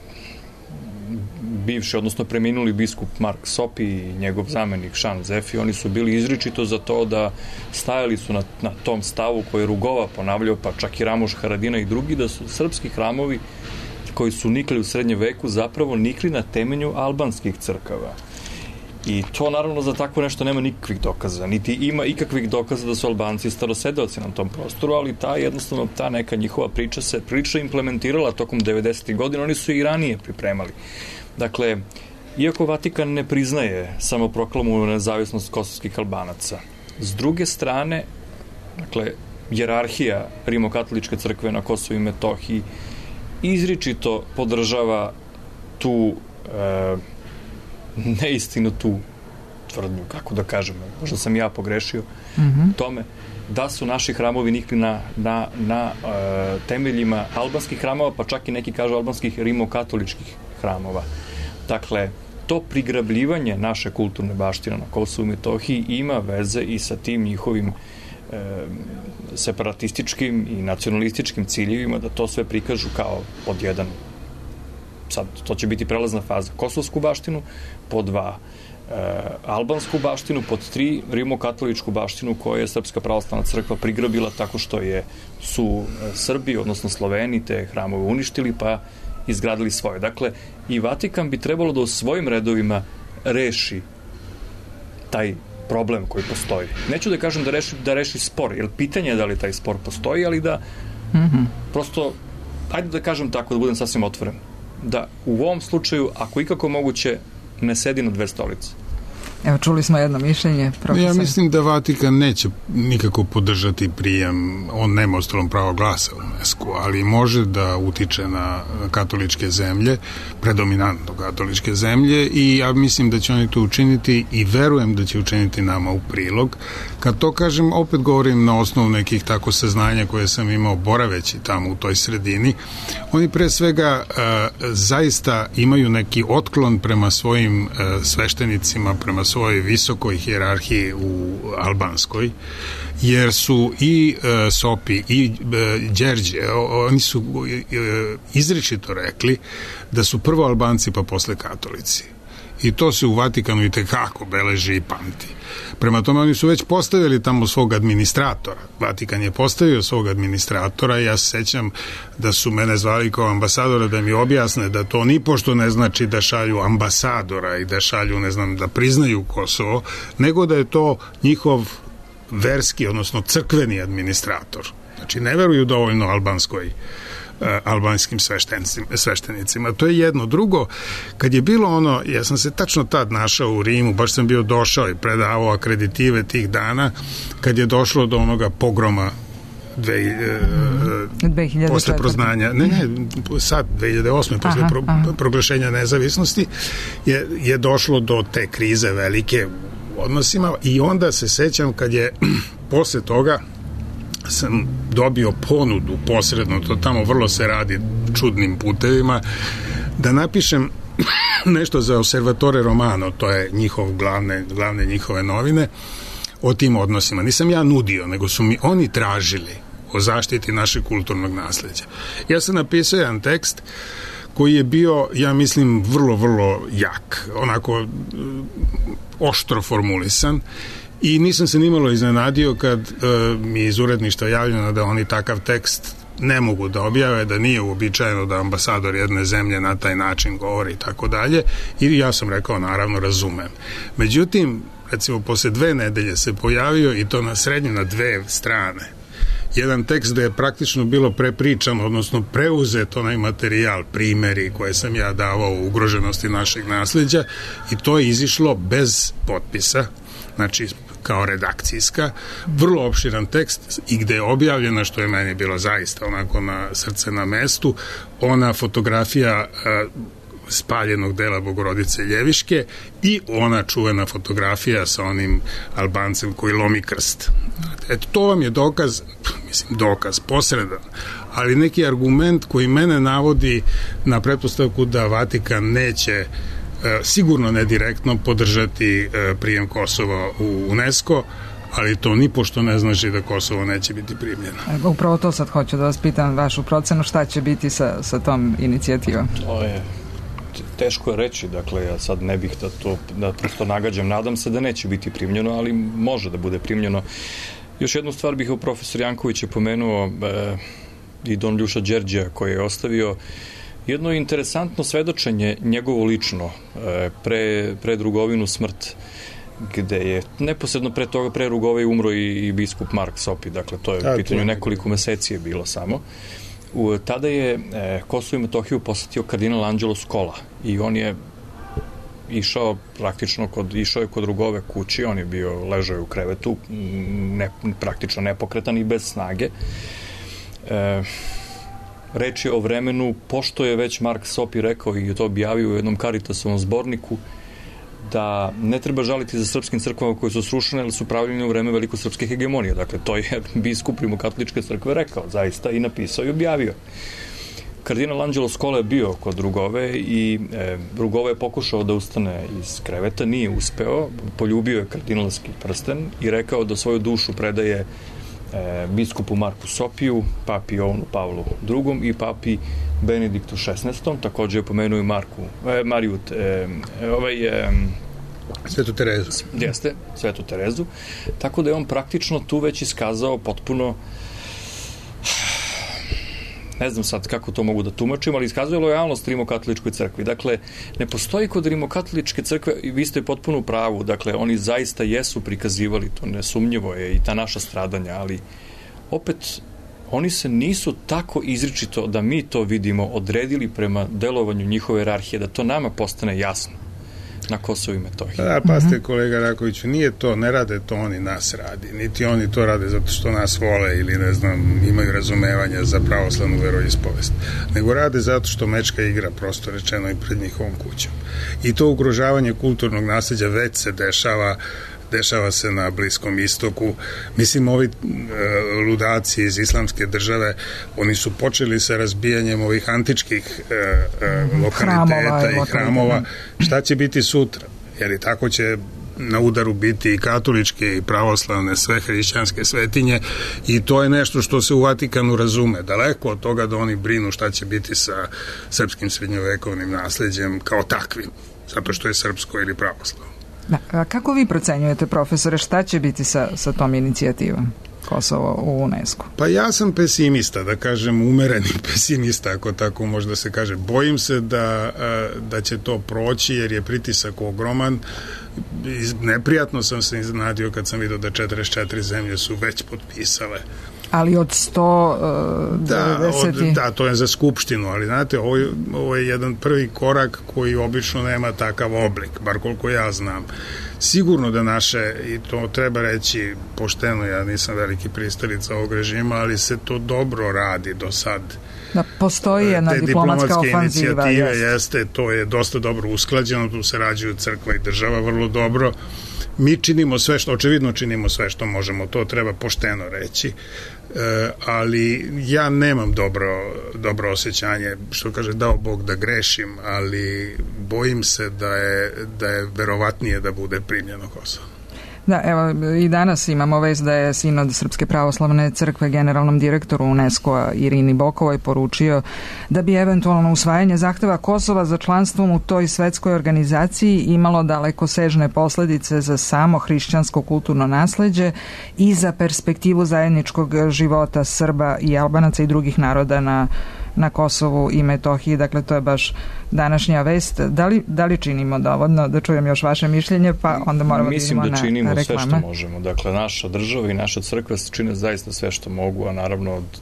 bivši, odnosno preminuli biskup Mark Sopi i njegov zamenik Šan Zefi, oni su bili izričito za to da stajali su na, na tom stavu koji je Rugova ponavljao, pa čak i Ramoš Haradina i drugi, da su srpski hramovi koji su nikli u srednjem veku zapravo nikli na temelju albanskih crkava. I to naravno za tako nešto nema nikakvih dokaza, niti ima ikakvih dokaza da su Albanci starosedeoci na tom prostoru, ali ta jednostavno, ta neka njihova priča se prilično implementirala tokom devedesetih godina, oni su i ranije pripremali. Dakle, iako Vatikan ne priznaje samoproklamovanu nezavisnost kosovskih Albanaca, s druge strane, dakle, hijerarhija rimokatoličke crkve na Kosovu i Metohiji izričito podržava tu e, neistinu, tu tvrdnju, kako da kažem, možda sam ja pogrešio mm-hmm. tome, da su naši hramovi nikli na, na, na e, temeljima albanskih hramova, pa čak i neki kažu albanskih rimokatoličkih hramova. Dakle, to prigrabljivanje naše kulturne baštine na Kosovu i Metohiji ima veze i sa tim njihovim e, separatističkim i nacionalističkim ciljevima, da to sve prikažu kao pod jedan, sad to će biti prelazna faza, kosovsku baštinu, pod dva e, albansku baštinu, pod tri rimokatoličku baštinu koju je Srpska pravoslavna crkva prigrabila tako što je su Srbi, odnosno Sloveni, te hramove uništili pa izgradili svoje. Dakle, i Vatikan bi trebalo da u svojim redovima reši taj problem koji postoji. Neću da kažem da reši, da reši spor, jer pitanje je da li taj spor postoji, ali da mm-hmm. prosto, ajde da kažem tako, da budem sasvim otvoren, da u ovom slučaju, ako ikako moguće, ne sedi na dve stolice. Evo, čuli smo jedno mišljenje. Profesor. Ja mislim da Vatikan neće nikako podržati prijem, on nema ostalom pravo glasa u UNESCO, ali može da utiče na katoličke zemlje, predominantno katoličke zemlje, i ja mislim da će oni to učiniti i verujem da će učiniti nama u prilog. Kad to kažem, opet govorim na osnovu nekih tako saznanja koje sam imao boraveći tamo u toj sredini. Oni pre svega uh, zaista imaju neki otklon prema svojim uh, sveštenicima, prema svojoj visokoj hijerarhiji u albanskoj, jer su i e, Sopi i e, Đerđe, oni su e, izričito rekli da su prvo Albanci pa posle katolici. I to se u Vatikanu i tekako beleži i pamti. Prema tome, oni su već postavili tamo svog administratora. Vatikan je postavio svog administratora i ja se sećam da su mene zvali kao ambasadora da mi objasne da to ni pošto ne znači da šalju ambasadora i da šalju, ne znam, da priznaju Kosovo, nego da je to njihov verski, odnosno crkveni administrator. Znači, ne veruju dovoljno albanskoj albanskim sveštenicima. To je jedno. Drugo, kad je bilo ono, ja sam se tačno tad našao u Rimu, baš sam bio došao i predavao akreditive tih dana, kad je došlo do onoga pogroma dve, e, posle proznanja, ne, ne, sad dve hiljade osme posle pro, proglašenja nezavisnosti je, je došlo do te krize velike u odnosima i onda se sećam kad je posle toga sam dobio ponudu posredno, to tamo vrlo se radi čudnim putevima, da napišem nešto za Osservatore Romano, to je njihov glavne, glavne njihove novine, o tim odnosima. Nisam ja nudio, nego su mi oni tražili o zaštiti našeg kulturnog nasleđa. Ja sam napisao jedan tekst koji je bio, ja mislim, vrlo, vrlo jak, onako oštro formulisan, i nisam se nimalo iznenadio kad e, mi iz uredništva javljeno da oni takav tekst ne mogu da objave, da nije uobičajeno da ambasador jedne zemlje na taj način govori i tako dalje, i ja sam rekao, naravno, razumem. Međutim, recimo, posle dve nedelje se pojavio, i to na srednje na dve strane, jedan tekst da je praktično bilo prepričano, odnosno preuzet onaj materijal, primeri koje sam ja davao u ugroženosti našeg nasleđa, i to je izišlo bez potpisa, znači kao redakcijska, vrlo opširan tekst, i gde je objavljena, što je meni bilo zaista onako na srce na mestu, ona fotografija a, spaljenog dela Bogorodice Ljeviške i ona čuvena fotografija sa onim Albancem koji lomi krst. Eto, to vam je dokaz, mislim, dokaz, posredan, ali neki argument koji mene navodi na pretpostavku da Vatikan neće, sigurno ne direktno, podržati prijem Kosova u UNESCO, ali to nipošto ne znači da Kosovo neće biti primljeno. Upravo to sad hoću da vas pitam, vašu procenu, šta će biti sa, sa tom inicijativom? To je teško je reći, dakle, ja sad ne bih da to, da prosto nagađam, nadam se da neće biti primljeno, ali može da bude primljeno. Još jednu stvar bih u profesor Janković je pomenuo e, i Don Ljuša Đerđija koji je ostavio jedno interesantno svedočenje njegovo lično e, pre, pre Rugovinu smrt, gde je neposredno pre toga, pre Rugove umro i, i biskup Mark Sopi, dakle to je u pitanju nekoliko meseci je bilo samo. U, tada je e, Kosovo i Metohiju posetio kardinal Anđelo Skola i on je išao praktično kod, išao je kod Rugove kući, on je bio, ležao je u krevetu, ne, praktično nepokretan i bez snage. E, reč je o vremenu, pošto je već Mark Sopi rekao i je to objavio u jednom Caritasovom zborniku, da ne treba žaliti za srpskim crkvama koje su srušene, ali su pravljene u vreme velikosrpske hegemonije. Dakle, to je biskup rimokatoličke crkve rekao, zaista, i napisao i objavio. Kardinal Anđelo Skola je bio kod Rugove i e, Rugove je pokušao da ustane iz kreveta, nije uspeo, poljubio je kardinalski prsten i rekao da svoju dušu predaje e, biskupu Marku Sopiju, papi Jovanu Pavlu drugom i papi Benediktu šesnaestom, takođe je pomenuo i Marku, e, Mariju, e, ovaj, e, Svetu Terezu. Jeste, Svetu Terezu. Tako da je on praktično tu već iskazao potpuno, ne znam sad kako to mogu da tumačim, ali iskazuje lojalnost rimokatoličkoj crkvi. Dakle, ne postoji kod rimokatoličke crkve, i vi ste potpuno u pravu, dakle, oni zaista jesu prikazivali, to nesumnjivo je i ta naša stradanja, ali opet oni se nisu tako izričito da mi to vidimo odredili prema delovanju njihove jerarhije, da to nama postane jasno na Kosovu i Metohiji. Da, pa ste, kolega Rakoviću, nije to, ne rade to oni, nas radi, niti oni to rade zato što nas vole ili, ne znam, imaju razumevanja za pravoslavnu veroispovest, nego rade zato što mečka igra, prosto rečeno, i pred njihovom kućom. I to ugrožavanje kulturnog nasleđa već se dešava, dešava se na Bliskom istoku. Mislim, ovi e, ludaci iz islamske države, oni su počeli sa razbijanjem ovih antičkih e, e, lokaliteta hramova, i hramova. Šta će biti sutra? Jer i tako će na udaru biti i katoličke i pravoslavne, sve hrišćanske svetinje, i to je nešto što se u Vatikanu razume. Daleko od toga da oni brinu šta će biti sa srpskim srednjovekovnim nasleđem kao takvim, zato što je srpsko ili pravoslavno. Da, a kako vi procenjujete, profesore, šta će biti sa, sa tom inicijativom Kosovo u UNESCO? Pa ja sam pesimista, da kažem umereni pesimista, ako tako možda se kaže. Bojim se da, da će to proći jer je pritisak ogroman. neprijatno sam se iznenadio kad sam vidio da četrdeset četiri zemlje su već potpisale. Ali od sto devedeset... Da, od, da, to je za skupštinu, ali znate, ovo je, ovo je jedan prvi korak koji obično nema takav oblik, bar koliko ja znam. Sigurno da naše, i to treba reći pošteno, ja nisam veliki pristalica ovog režima, ali se to dobro radi do sad. Da, postoji jedna te diplomatska ofanziva. Inicijative jeste. jeste, to je dosta dobro usklađeno, tu se rađuju crkva i država vrlo dobro. Mi činimo sve što, očevidno činimo sve što možemo, to treba pošteno reći. E, ali ja nemam dobro, dobro osjećanje, što kaže, dao Bog da grešim, ali bojim se da je, da je verovatnije da bude primljeno Kosovo. Da, evo, i danas imamo vest da je Sinod Srpske pravoslavne crkve generalnom direktoru UNESCO-a Irini Bokovoj poručio da bi eventualno usvajanje zahteva Kosova za članstvom u toj svetskoj organizaciji imalo dalekosežne posledice za samo hrišćansko kulturno nasleđe i za perspektivu zajedničkog života Srba i Albanaca i drugih naroda na na Kosovu i Metohiji. Dakle, to je baš današnja vest. Da li, da li činimo dovoljno? Da čujem još vaše mišljenje, pa onda moramo Mislim da idemo da na reklame. Mislim da činimo sve što možemo. Dakle, naša država i naša crkva čine zaista sve što mogu, a naravno od,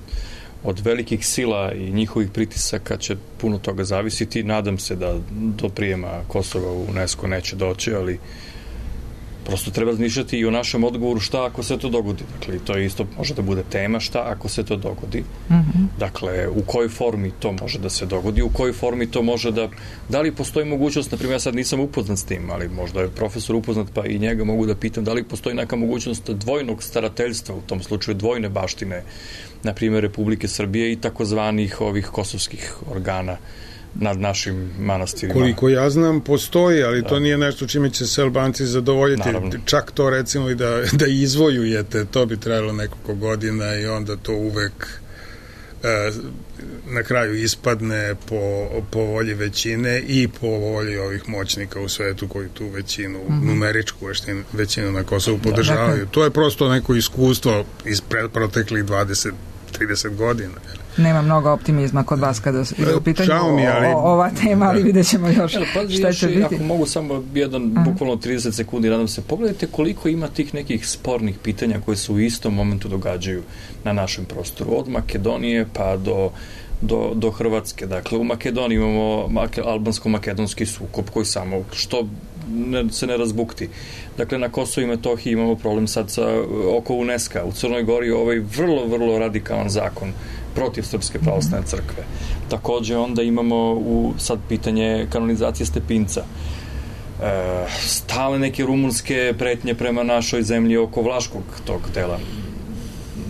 od velikih sila i njihovih pritisaka će puno toga zavisiti. Nadam se da do prijema Kosova u UNESCO neće doći, ali prosto treba razmišljati i o našem odgovoru šta ako se to dogodi. Dakle, to isto može da bude tema šta ako se to dogodi. Mm-hmm. Dakle, u kojoj formi to može da se dogodi, u kojoj formi to može da... Da li postoji mogućnost, na primjer, ja sad nisam upoznat s tim, ali možda je profesor upoznat, pa i njega mogu da pitam, da li postoji neka mogućnost dvojnog starateljstva, u tom slučaju dvojne baštine, na primjer, Republike Srbije i takozvanih ovih kosovskih organa nad našim manastirima. Koliko ja znam, postoji, ali da. To nije nešto čime će se Albanci zadovoljiti. Naravno. Čak to recimo i da, da izvojujete, to bi trajalo nekoliko godina i onda to uvek e, na kraju ispadne po, po volji većine i po volji ovih moćnika u svetu koji tu većinu, mm-hmm. numeričku većinu, većinu na Kosovu podržavaju. Da. To je prosto neko iskustvo iz proteklih dvadeset trideset godina. Nema mnogo optimizma kod vas kada je u pitanju mi, ali... o, ova tema, ali vidjet ćemo još pa, šta će biti. Ako mogu samo jedan, Aha. bukvalno trideset sekundi, nadam se, pogledajte koliko ima tih nekih spornih pitanja koje se u istom momentu događaju na našem prostoru. Od Makedonije pa do, do, do Hrvatske. Dakle, u Makedoniji imamo albansko-makedonski sukob koji samo što ne, se ne razbukti. Dakle, na Kosovu i Metohiji imamo problem sad sa, oko UNESCO-a. U Crnoj Gori ovaj vrlo, vrlo radikalan zakon protiv Srpske pravoslavne crkve. Takođe onda imamo u sad pitanje kanonizacije Stepinca. E, stale neke rumunske pretnje prema našoj zemlji oko Vlaškog tog dela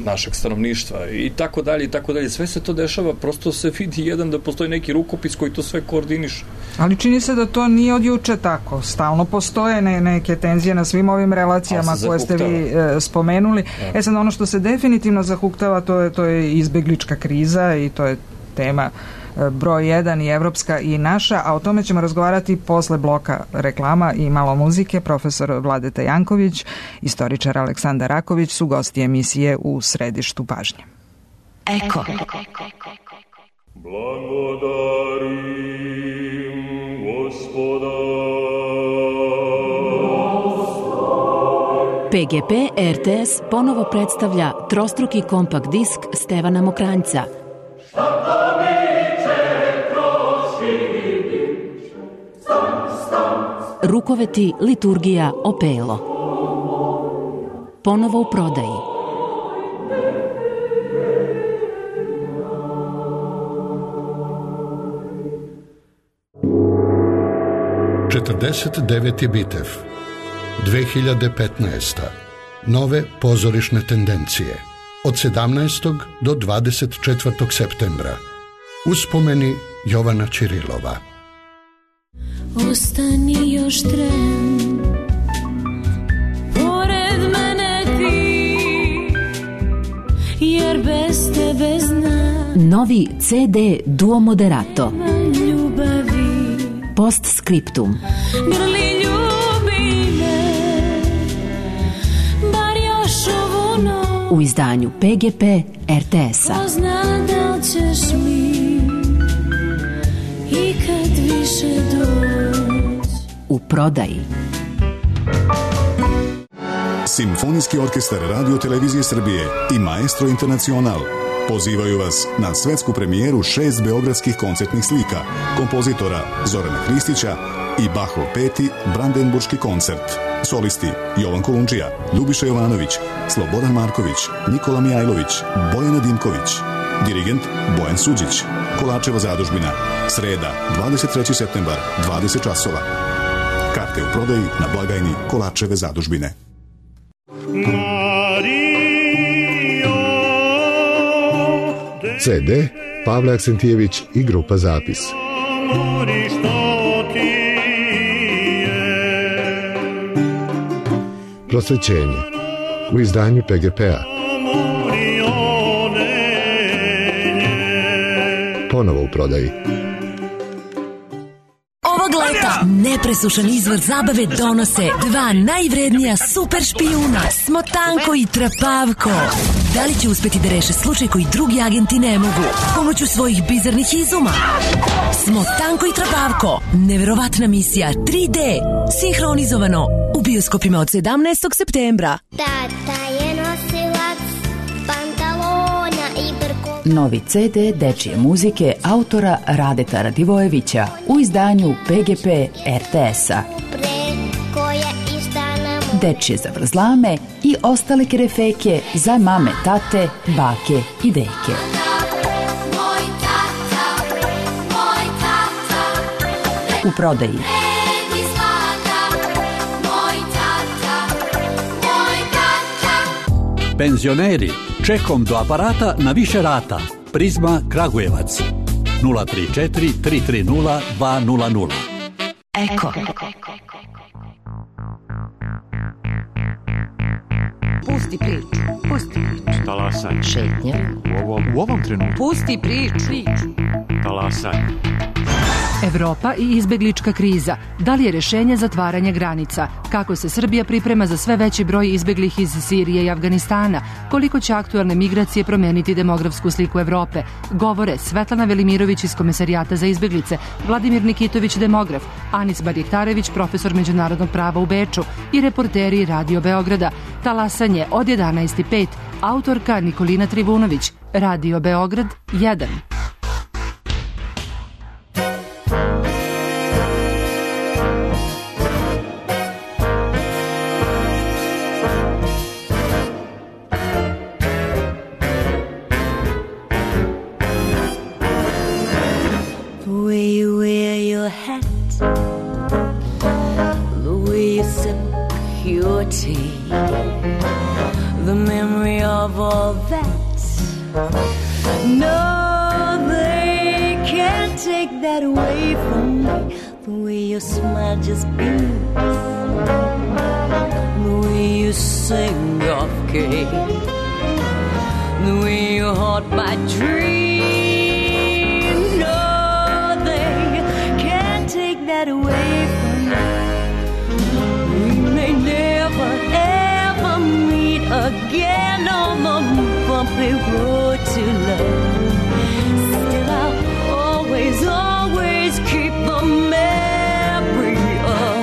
našeg stanovništva i tako dalje i tako dalje. Sve se to dešava, prosto se vidi jedan da postoji neki rukopis koji to sve koordiniše. Ali čini se da to nije od juče tako. Stalno postoje ne, neke tenzije na svim ovim relacijama koje ste vi e, spomenuli. Ja. E sad, ono što se definitivno zahuktava, to je, to je izbeglička kriza i to je tema e, broj jedan i evropska i naša, a o tome ćemo razgovarati posle bloka reklama i malo muzike. Profesor Vladeta Janković, istoričar Aleksandar Raković su gosti emisije U središtu pažnje. Eko. Blagodarim Gospoda. P G P R T S ponovo predstavlja trostruki kompakt disk Stevana Mokranjca. Rukoveti, liturgija, opelo. Ponovo u prodaji. četrdeset deveti Bitev, dve hiljade petnaesta. Nove pozorišne tendencije. Od sedamnaestog do dvadeset četvrtog septembra. Uspomeni Jovana Ćirilova. Ostani još tren, pored mene ti, jer bez tebe znam. Novi C D Duo Moderato. Ljubavi. Postscriptum. Grli ljubi me, bar još ovu noć. U izdanju P G P R T S-a. Pozna da li ćeš mi i kad više doći. U prodaji. Simfonijski orkestar Radio Televizije Srbije i Maestro Internacional pozivaju vas na svetsku premijeru šest beogradskih koncertnih slika kompozitora Zorana Hristića i Bachov peti Brandenburški koncert. Solisti Jovan Kolundžija, Ljubiša Jovanović, Slobodan Marković, Nikola Mijajlović, Bojana Dimković. Dirigent Bojan Suđić. Kolačeva zadužbina. Sreda, dvadeset treći septembar, dvadeset časova. Karte u prodaji na blagajni Kolačeve zadužbine. ce de Pavle Aksentijević i grupa Zapis. Prosvećenje u izdanju pe ge pe-a. Ponovo u prodaji. Ovog leta nepresušan izvor zabave donose dva najvrednija super špijuna, Smotanko i Trapavko. Da li će uspeti da reše slučaj koji drugi agenti ne mogu pomoću svojih bizarnih izuma? Smotanko i Trapavko, neverovatna misija tri de, sinhronizovano u bioskopima od sedamnaestog septembra. Tata je nosilac pantalona i brko. Novi ce de dečije muzike autora Radeta Radivojevića u izdanju pe ge pe er te es-a. Preko je istana mu. Dečije zavrzlame i ostale kerefeke za mame, tate, bake i deke. Moj tata, moj tata, U prodaji. Edi zlata, moj tata, moj tata. Penzioneri, čekom do aparata na više rata. Prizma Kragujevac. nula tri četiri tri tri nula dva nula nula. Eko. Pusti priču, pusti priču. Talasanje. Šetnje. U ovom, u ovom trenutku. Pusti priču. Talasanje. Evropa i izbeglička kriza. Da li je rešenje zatvaranje granica? Kako se Srbija priprema za sve veći broj izbeglih iz Sirije i Afganistana? Koliko će aktualne migracije promeniti demografsku sliku Evrope? Govore Svetlana Velimirović iz Komesarijata za izbeglice, Vladimir Nikitović, demograf, Anis Barjektarević, profesor međunarodnog prava u Beču i reporteri Radio Beograda. Talasanje od jedanaest i pet. Autorka Nikolina Trivunović. Radio Beograd jedan. The memory of all that. No, they can't take that away from me. The way your smile just beams, the way you sing off key, the way you haunt my dreams. No, they can't take that away from me. We may never ever meet again on the bumpy road to love. Still I'll always, always keep the memory of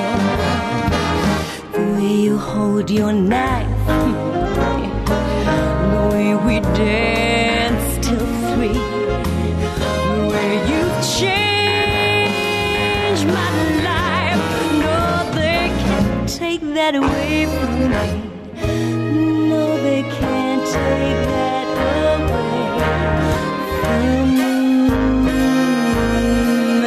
the way you hold your knife, the way we dance till three, the way you've changed my life. No, they can't take that away from me. No, they can't take that away from me.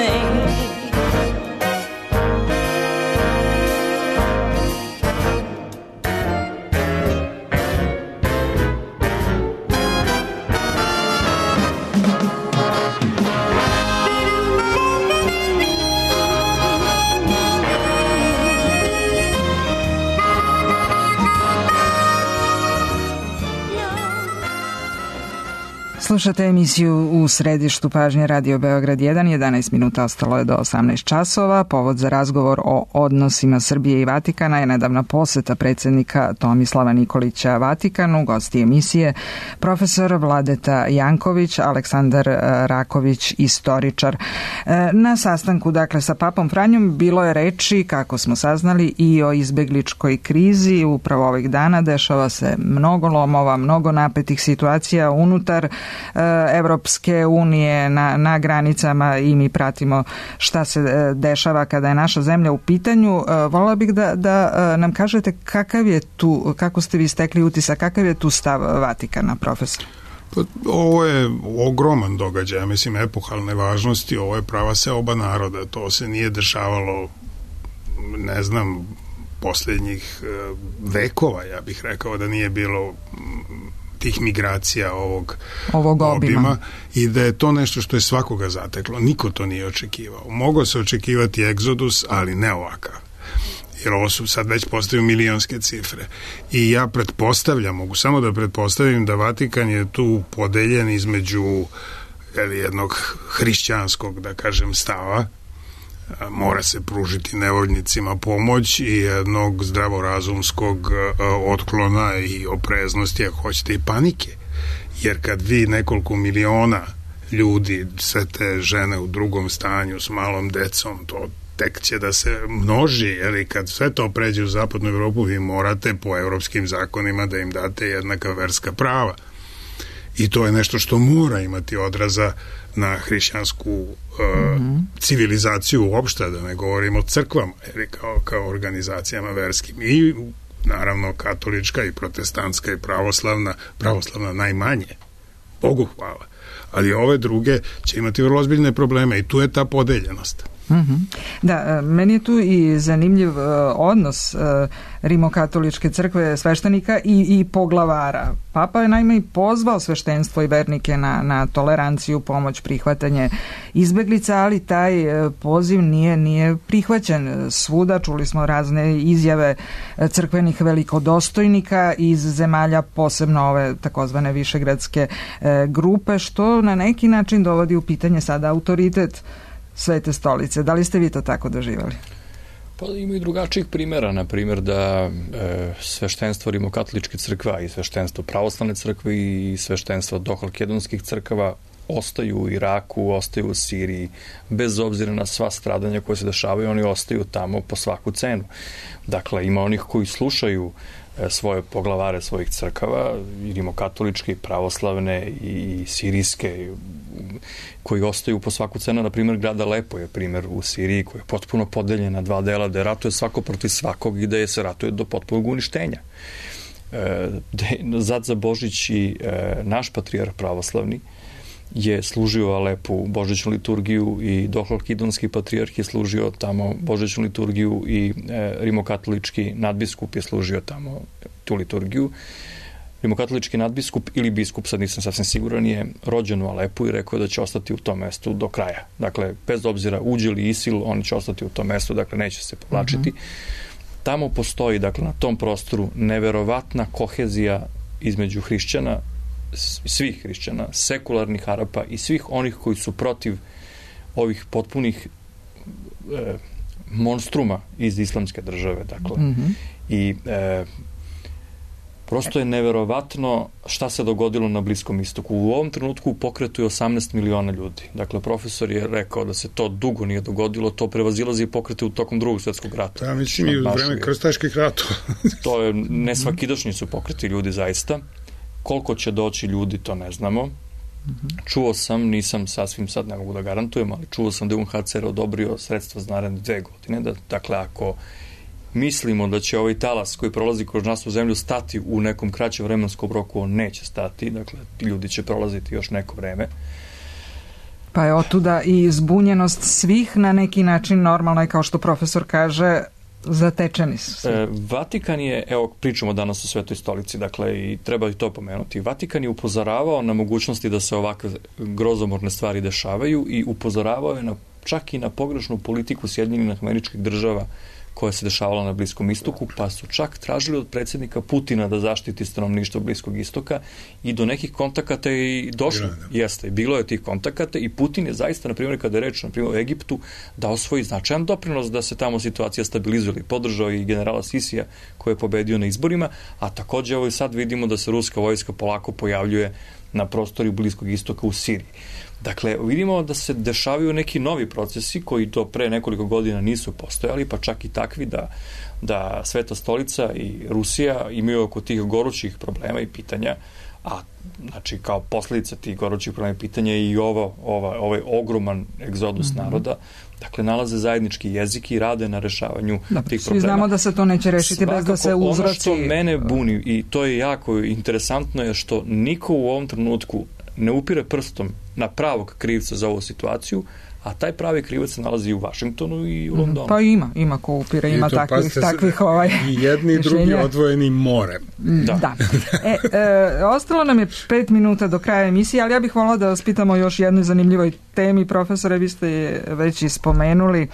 Slušate emisiju U središtu pažnje Radio Beograd jedan, jedanaest minuta ostalo je do osamnaest časova. Povod za razgovor o odnosima Srbije i Vatikana je nedavna poseta predsjednika Tomislava Nikolića Vatikanu, gosti emisije profesor Vladeta Janković, Aleksandar Raković, istoričar. Na sastanku dakle sa papom Franjom bilo je reči, kako smo saznali, i o izbegličkoj krizi. Upravo ovih dana dešava se mnogo lomova, mnogo napetih situacija unutar Evropske unije na, na granicama i mi pratimo šta se dešava kada je naša zemlja u pitanju. Volila bih da, da nam kažete kakav je tu, kako ste vi stekli utisak, kakav je tu stav Vatikana, profesor? Pa, ovo je ogroman događaj, mislim, epohalne važnosti, ovo je prava seoba naroda, to se nije dešavalo, ne znam, posljednjih vekova, ja bih rekao da nije bilo tih migracija ovog, ovog obima. obima i da je to nešto što je svakoga zateklo. Niko to nije očekivao. Mogao se očekivati egzodus, ali ne ovakav. Jer ovo su sad već postaju milionske cifre. I ja pretpostavljam, mogu samo da pretpostavim da Vatikan je tu podeljen između jednog hrišćanskog, da kažem, stava, mora se pružiti nevoljnicima pomoć, i jednog zdravorazumskog otklona i opreznosti, ako hoćete, i panike. Jer kad vi nekoliko miliona ljudi, sve te žene u drugom stanju s malom decom, to tek će da se množi, jer kad sve to pređe u zapadnu Evropu, vi morate po evropskim zakonima da im date jednaka verska prava. I to je nešto što mora imati odraza na hrišćansku uh, mm-hmm. civilizaciju uopšte, da ne govorimo o crkvama, jer kao, kao organizacijama verskim. I naravno katolička i protestantska i pravoslavna, pravoslavna najmanje. Bogu hvala. Ali ove druge će imati vrlo ozbiljne probleme i tu je ta podeljenost. Mm-hmm. Da, meni je tu i zanimljiv uh, odnos uh, Rimokatoličke crkve, sveštenika i, i poglavara. Papa je naime i pozvao sveštenstvo i vernike na, na toleranciju, pomoć, prihvatanje izbeglica, ali taj uh, poziv nije, nije prihvaćen svuda. Čuli smo razne izjave crkvenih velikodostojnika iz zemalja, posebno ove takozvane višegradske uh, grupe, što na neki način dovodi u pitanje sada autoritet Svete stolice. Da li ste vi to tako doživali? Pa ima i drugačijih primjera, na primjer da e, sveštenstvo Rimokatoličke crkve i sveštenstvo pravoslavne crkve i sveštenstvo dohalkedonskih crkava ostaju u Iraku, ostaju u Siriji, bez obzira na sva stradanja koje se dešavaju, oni ostaju tamo po svaku cenu. Dakle, ima onih koji slušaju svoje poglavare svojih crkava, i rimokatoličke, i pravoslavne, i sirijske, koji ostaju po svaku cenu. Na primjer, grad Alepo je primjer u Siriji, koji je potpuno podeljen na dva dela, da ratuje svako protiv svakog i da je se ratuje do potpunog uništenja. E, Zad za Božić i e, naš patrijarh pravoslavni je služio Alepu božićnu liturgiju, i Dohalkidonski patrijarh je služio tamo božićnu liturgiju, i e, rimokatolički nadbiskup je služio tamo tu liturgiju. Rimokatolički nadbiskup ili biskup, sad nisam sasvim siguran, je rođen u Alepu i rekao da će ostati u tom mestu do kraja. Dakle, bez obzira uđe li ISIL, oni će ostati u tom mestu, dakle neće se povlačiti. Mm-hmm. Tamo postoji, dakle, na tom prostoru neverovatna kohezija između hrišćana, svih hrišćana, sekularnih Arapa i svih onih koji su protiv ovih potpunih e, monstruma iz islamske države. Dakle. Mm-hmm. I e, prosto je neverovatno šta se dogodilo na Bliskom istoku. U ovom trenutku u pokretu je osamnaest miliona ljudi. Dakle, profesor je rekao da se to dugo nije dogodilo, to prevazilazi pokrete u tokom drugog svjetskog rata. Da, mislim i u vreme krstaških ratova. To je, nesvakidašnji su pokreti ljudi zaista. Koliko će doći ljudi, to ne znamo. Čuo sam, nisam sasvim sad, ne mogu da garantujem, ali čuo sam da je U N H C R odobrio sredstva za naredne dve godine. Da, dakle, ako mislimo da će ovaj talas koji prolazi kroz našu zemlju stati u nekom kraćem vremenskom roku, on neće stati. Dakle, ti ljudi će prolaziti još neko vreme. Pa je otuda i zbunjenost svih na neki način. Normalno je, kao što profesor kaže, zatečeni su. E, Vatikan je, evo pričamo danas o Svetoj stolici, dakle, i treba i to pomenuti. Vatikan je upozoravao na mogućnosti da se ovakve grozomorne stvari dešavaju i upozoravao je na, čak i na pogrešnu politiku Sjedinjenih Američkih Država koja se dešavala na Bliskom istoku, pa su čak tražili od predsjednika Putina da zaštiti stanovništvo Bliskog istoka i do nekih kontakata i došlo. Jeste, bilo je tih kontakata i Putin je zaista, na primjer, kada je reč na primjer o Egiptu, dao svoj značajan doprinos da se tamo situacija stabilizuje. Podržao i generala Sisija koji je pobedio na izborima, a također evo i sad vidimo da se ruska vojska polako pojavljuje na prostoru Bliskog istoka u Siriji. Dakle, vidimo da se dešavaju neki novi procesi koji do pre nekoliko godina nisu postojali, pa čak i takvi da, da Sveta stolica i Rusija imaju oko tih gorućih problema i pitanja, a znači kao posljedica tih gorućih problema i pitanja i ovo, ova, ovaj ogroman egzodus mm-hmm. naroda, dakle, nalaze zajednički jezik i rade na rešavanju da, tih problema. Svi znamo da se to neće rešiti Svakako, bez da se uzroci... Ono što mene buni, i to je jako interesantno, je što niko u ovom trenutku ne upire prstom na pravog krivca za ovu situaciju, a taj pravi krivac se nalazi u Vašingtonu i u Londonu. Pa ima, ima ko upire, ima to, takvih, takvih ovaj, i jedni i drugi odvojeni more. Da. da. E, e, ostalo nam je pet minuta do kraja emisije, ali ja bih volila da vas pitamo još jednoj zanimljivoj temi. Profesore, vi ste je već i spomenuli. E,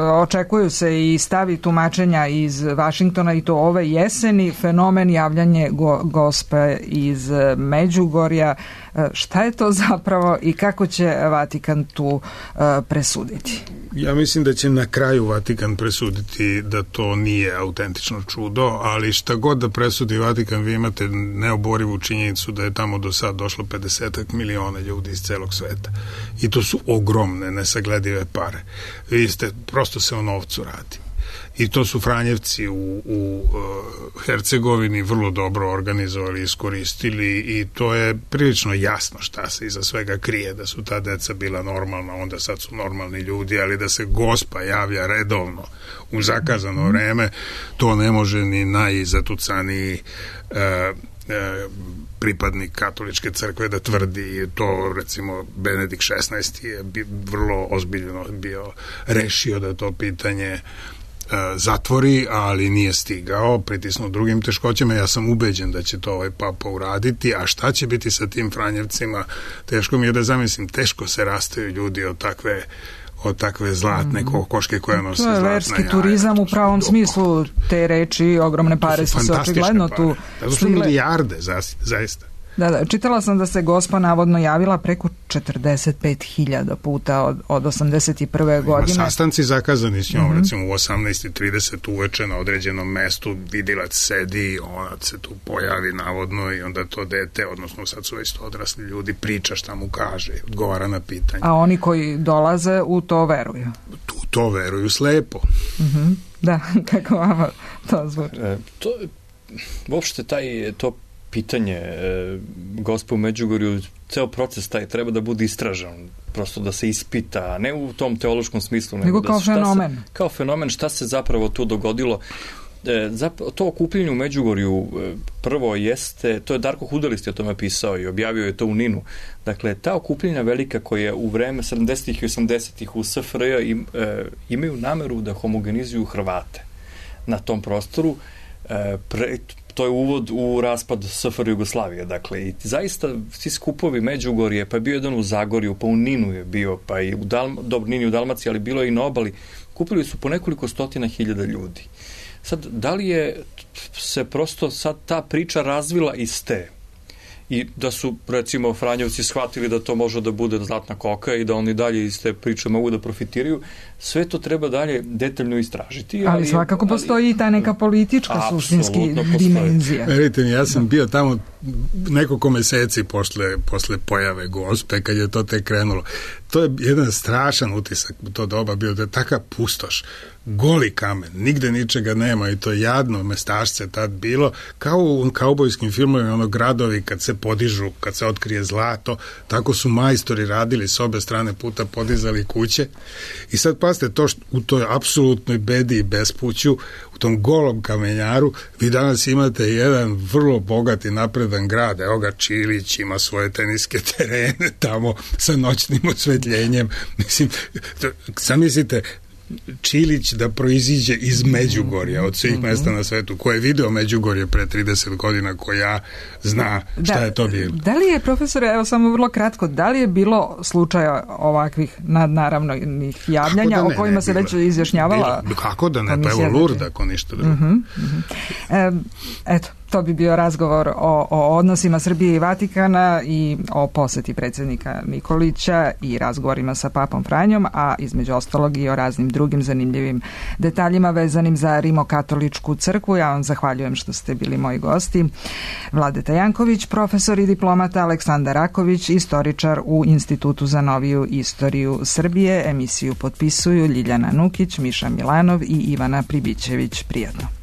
očekuju se i stavi tumačenja iz Vašingtona i to ove jeseni, fenomen javljanje go, gospe iz Međugorja. E, šta je to zapravo i kako će Vatikan tu e, presuditi? Ja mislim da će na kraju Vatikan presuditi da to nije autentično čudo, ali šta god da presudi Vatikan, vi imate neoborivu činjenicu da je tamo do sad došlo pedeset miliona ljudi iz celog sveta. I to su ogromne, nesagledive pare. Vi ste, prosto se o novcu radi. I to su Franjevci u, u uh, Hercegovini vrlo dobro organizovali, iskoristili i to je prilično jasno šta se iza svega krije, da su ta deca bila normalna, onda sad su normalni ljudi, ali da se gospa javlja redovno u zakazano vreme, to ne može ni najzatucaniji uh, uh, pripadnik katoličke crkve da tvrdi. To, recimo, Benedikt šesnaesti je bi, vrlo ozbiljno bio rešio da to pitanje zatvori, ali nije stigao, pritisnuo drugim teškoćama. Ja sam ubeđen da će to ovaj papa uraditi, a šta će biti sa tim Franjevcima, teško mi je da zamislim, teško se rastaju ljudi od takve od takve zlatne kokoške koja nose zlatna jaja. To je verski turizam u pravom smislu te reči, ogromne pare su se očigledno tu slile. To su milijarde, zaista. Da, da, čitala sam da se gospa navodno javila preko četrdeset pet hiljada puta od, od osamdeset prve godine. Ima sastanci zakazani s njom, mm-hmm. recimo u osamnaest i trideset uveče na određenom mestu, vidilac sedi, ona se tu pojavi navodno i onda to dete, odnosno sad su već to odrasli ljudi, priča šta mu kaže, odgovara na pitanje. A oni koji dolaze u to veruju? Tu to veruju slepo. Mm-hmm. Da, kako vama to zvuči? E, to, uopšte taj, to pitanje e, gospe u Međugorju, ceo proces taj treba da bude istražan, prosto da se ispita, ne u tom teološkom smislu, nego, nego kao da fenomen. Se, kao fenomen, šta se zapravo tu dogodilo. E, zapravo, to okupljenje u Međugorju e, prvo jeste, to je Darko Hudelist je o tome pisao i objavio je to u Ninu. Dakle, ta okupljenja velika koja u vreme sedamdesetih i osamdesetih u S F R J im, e, imaju nameru da homogenizuju Hrvate na tom prostoru. E, pre, to je uvod u raspad S F R Jugoslavije, dakle, i zaista svi skupovi Međugorje, pa je bio jedan u Zagorju, pa u Ninu je bio, pa i u Dalma, dobro, Nini u Dalmaciji, ali bilo je i na obali, kupili su po nekoliko stotina hiljada ljudi. Sad, da li je se prosto sad ta priča razvila iz te i da su, recimo, Franjevci shvatili da to može da bude zlatna koka i da oni dalje iz te priče mogu da profitiraju, sve to treba dalje detaljno istražiti. Ali, ali svakako ali, postoji i ta neka politička suštinski dimenzija. Verite mi, ja sam bio tamo nekoliko meseci posle, posle pojave gospe, kad je to tek krenulo. To je jedan strašan utisak u to doba bio, da je taka pustoš, goli kamen, nigde ničega nema i to jadno mestašce tad bilo, kao u kaubojskim filmovima, ono gradovi kad se podižu, kad se otkrije zlato, tako su majstori radili s obe strane puta, podizali kuće i sad pazite to što u toj apsolutnoj bedi i bespuću, u tom golom kamenjaru, vi danas imate jedan vrlo bogat i napredan grad, evo ga Čilić ima svoje teniske terene tamo sa noćnim osvetljenjem, mislim, zamislite Čilić da proiziđe iz Međugorja, od svih mesta na svetu, ko je video Međugorje pre trideset godina, ko ja zna šta da, je to bilo. Da li je, profesore, evo samo vrlo kratko, da li je bilo slučaja ovakvih nadnaravnih javljanja da ne, o kojima ne, se već izjašnjavala? Bilo, kako da ne, pa evo Lurd ako ništa drugo. Uh-huh, uh-huh. E, eto, to bi bio razgovor o, o odnosima Srbije i Vatikana i o poseti predsjednika Nikolića i razgovorima sa papom Franjom, a između ostalog i o raznim drugim zanimljivim detaljima vezanim za Rimokatoličku crkvu. Ja vam zahvaljujem što ste bili moji gosti. Vladeta Janković, profesor i diplomata, Aleksandar Raković, istoričar u Institutu za noviju istoriju Srbije. Emisiju potpisuju Ljiljana Nukić, Miša Milanov i Ivana Pribićević. Prijatno.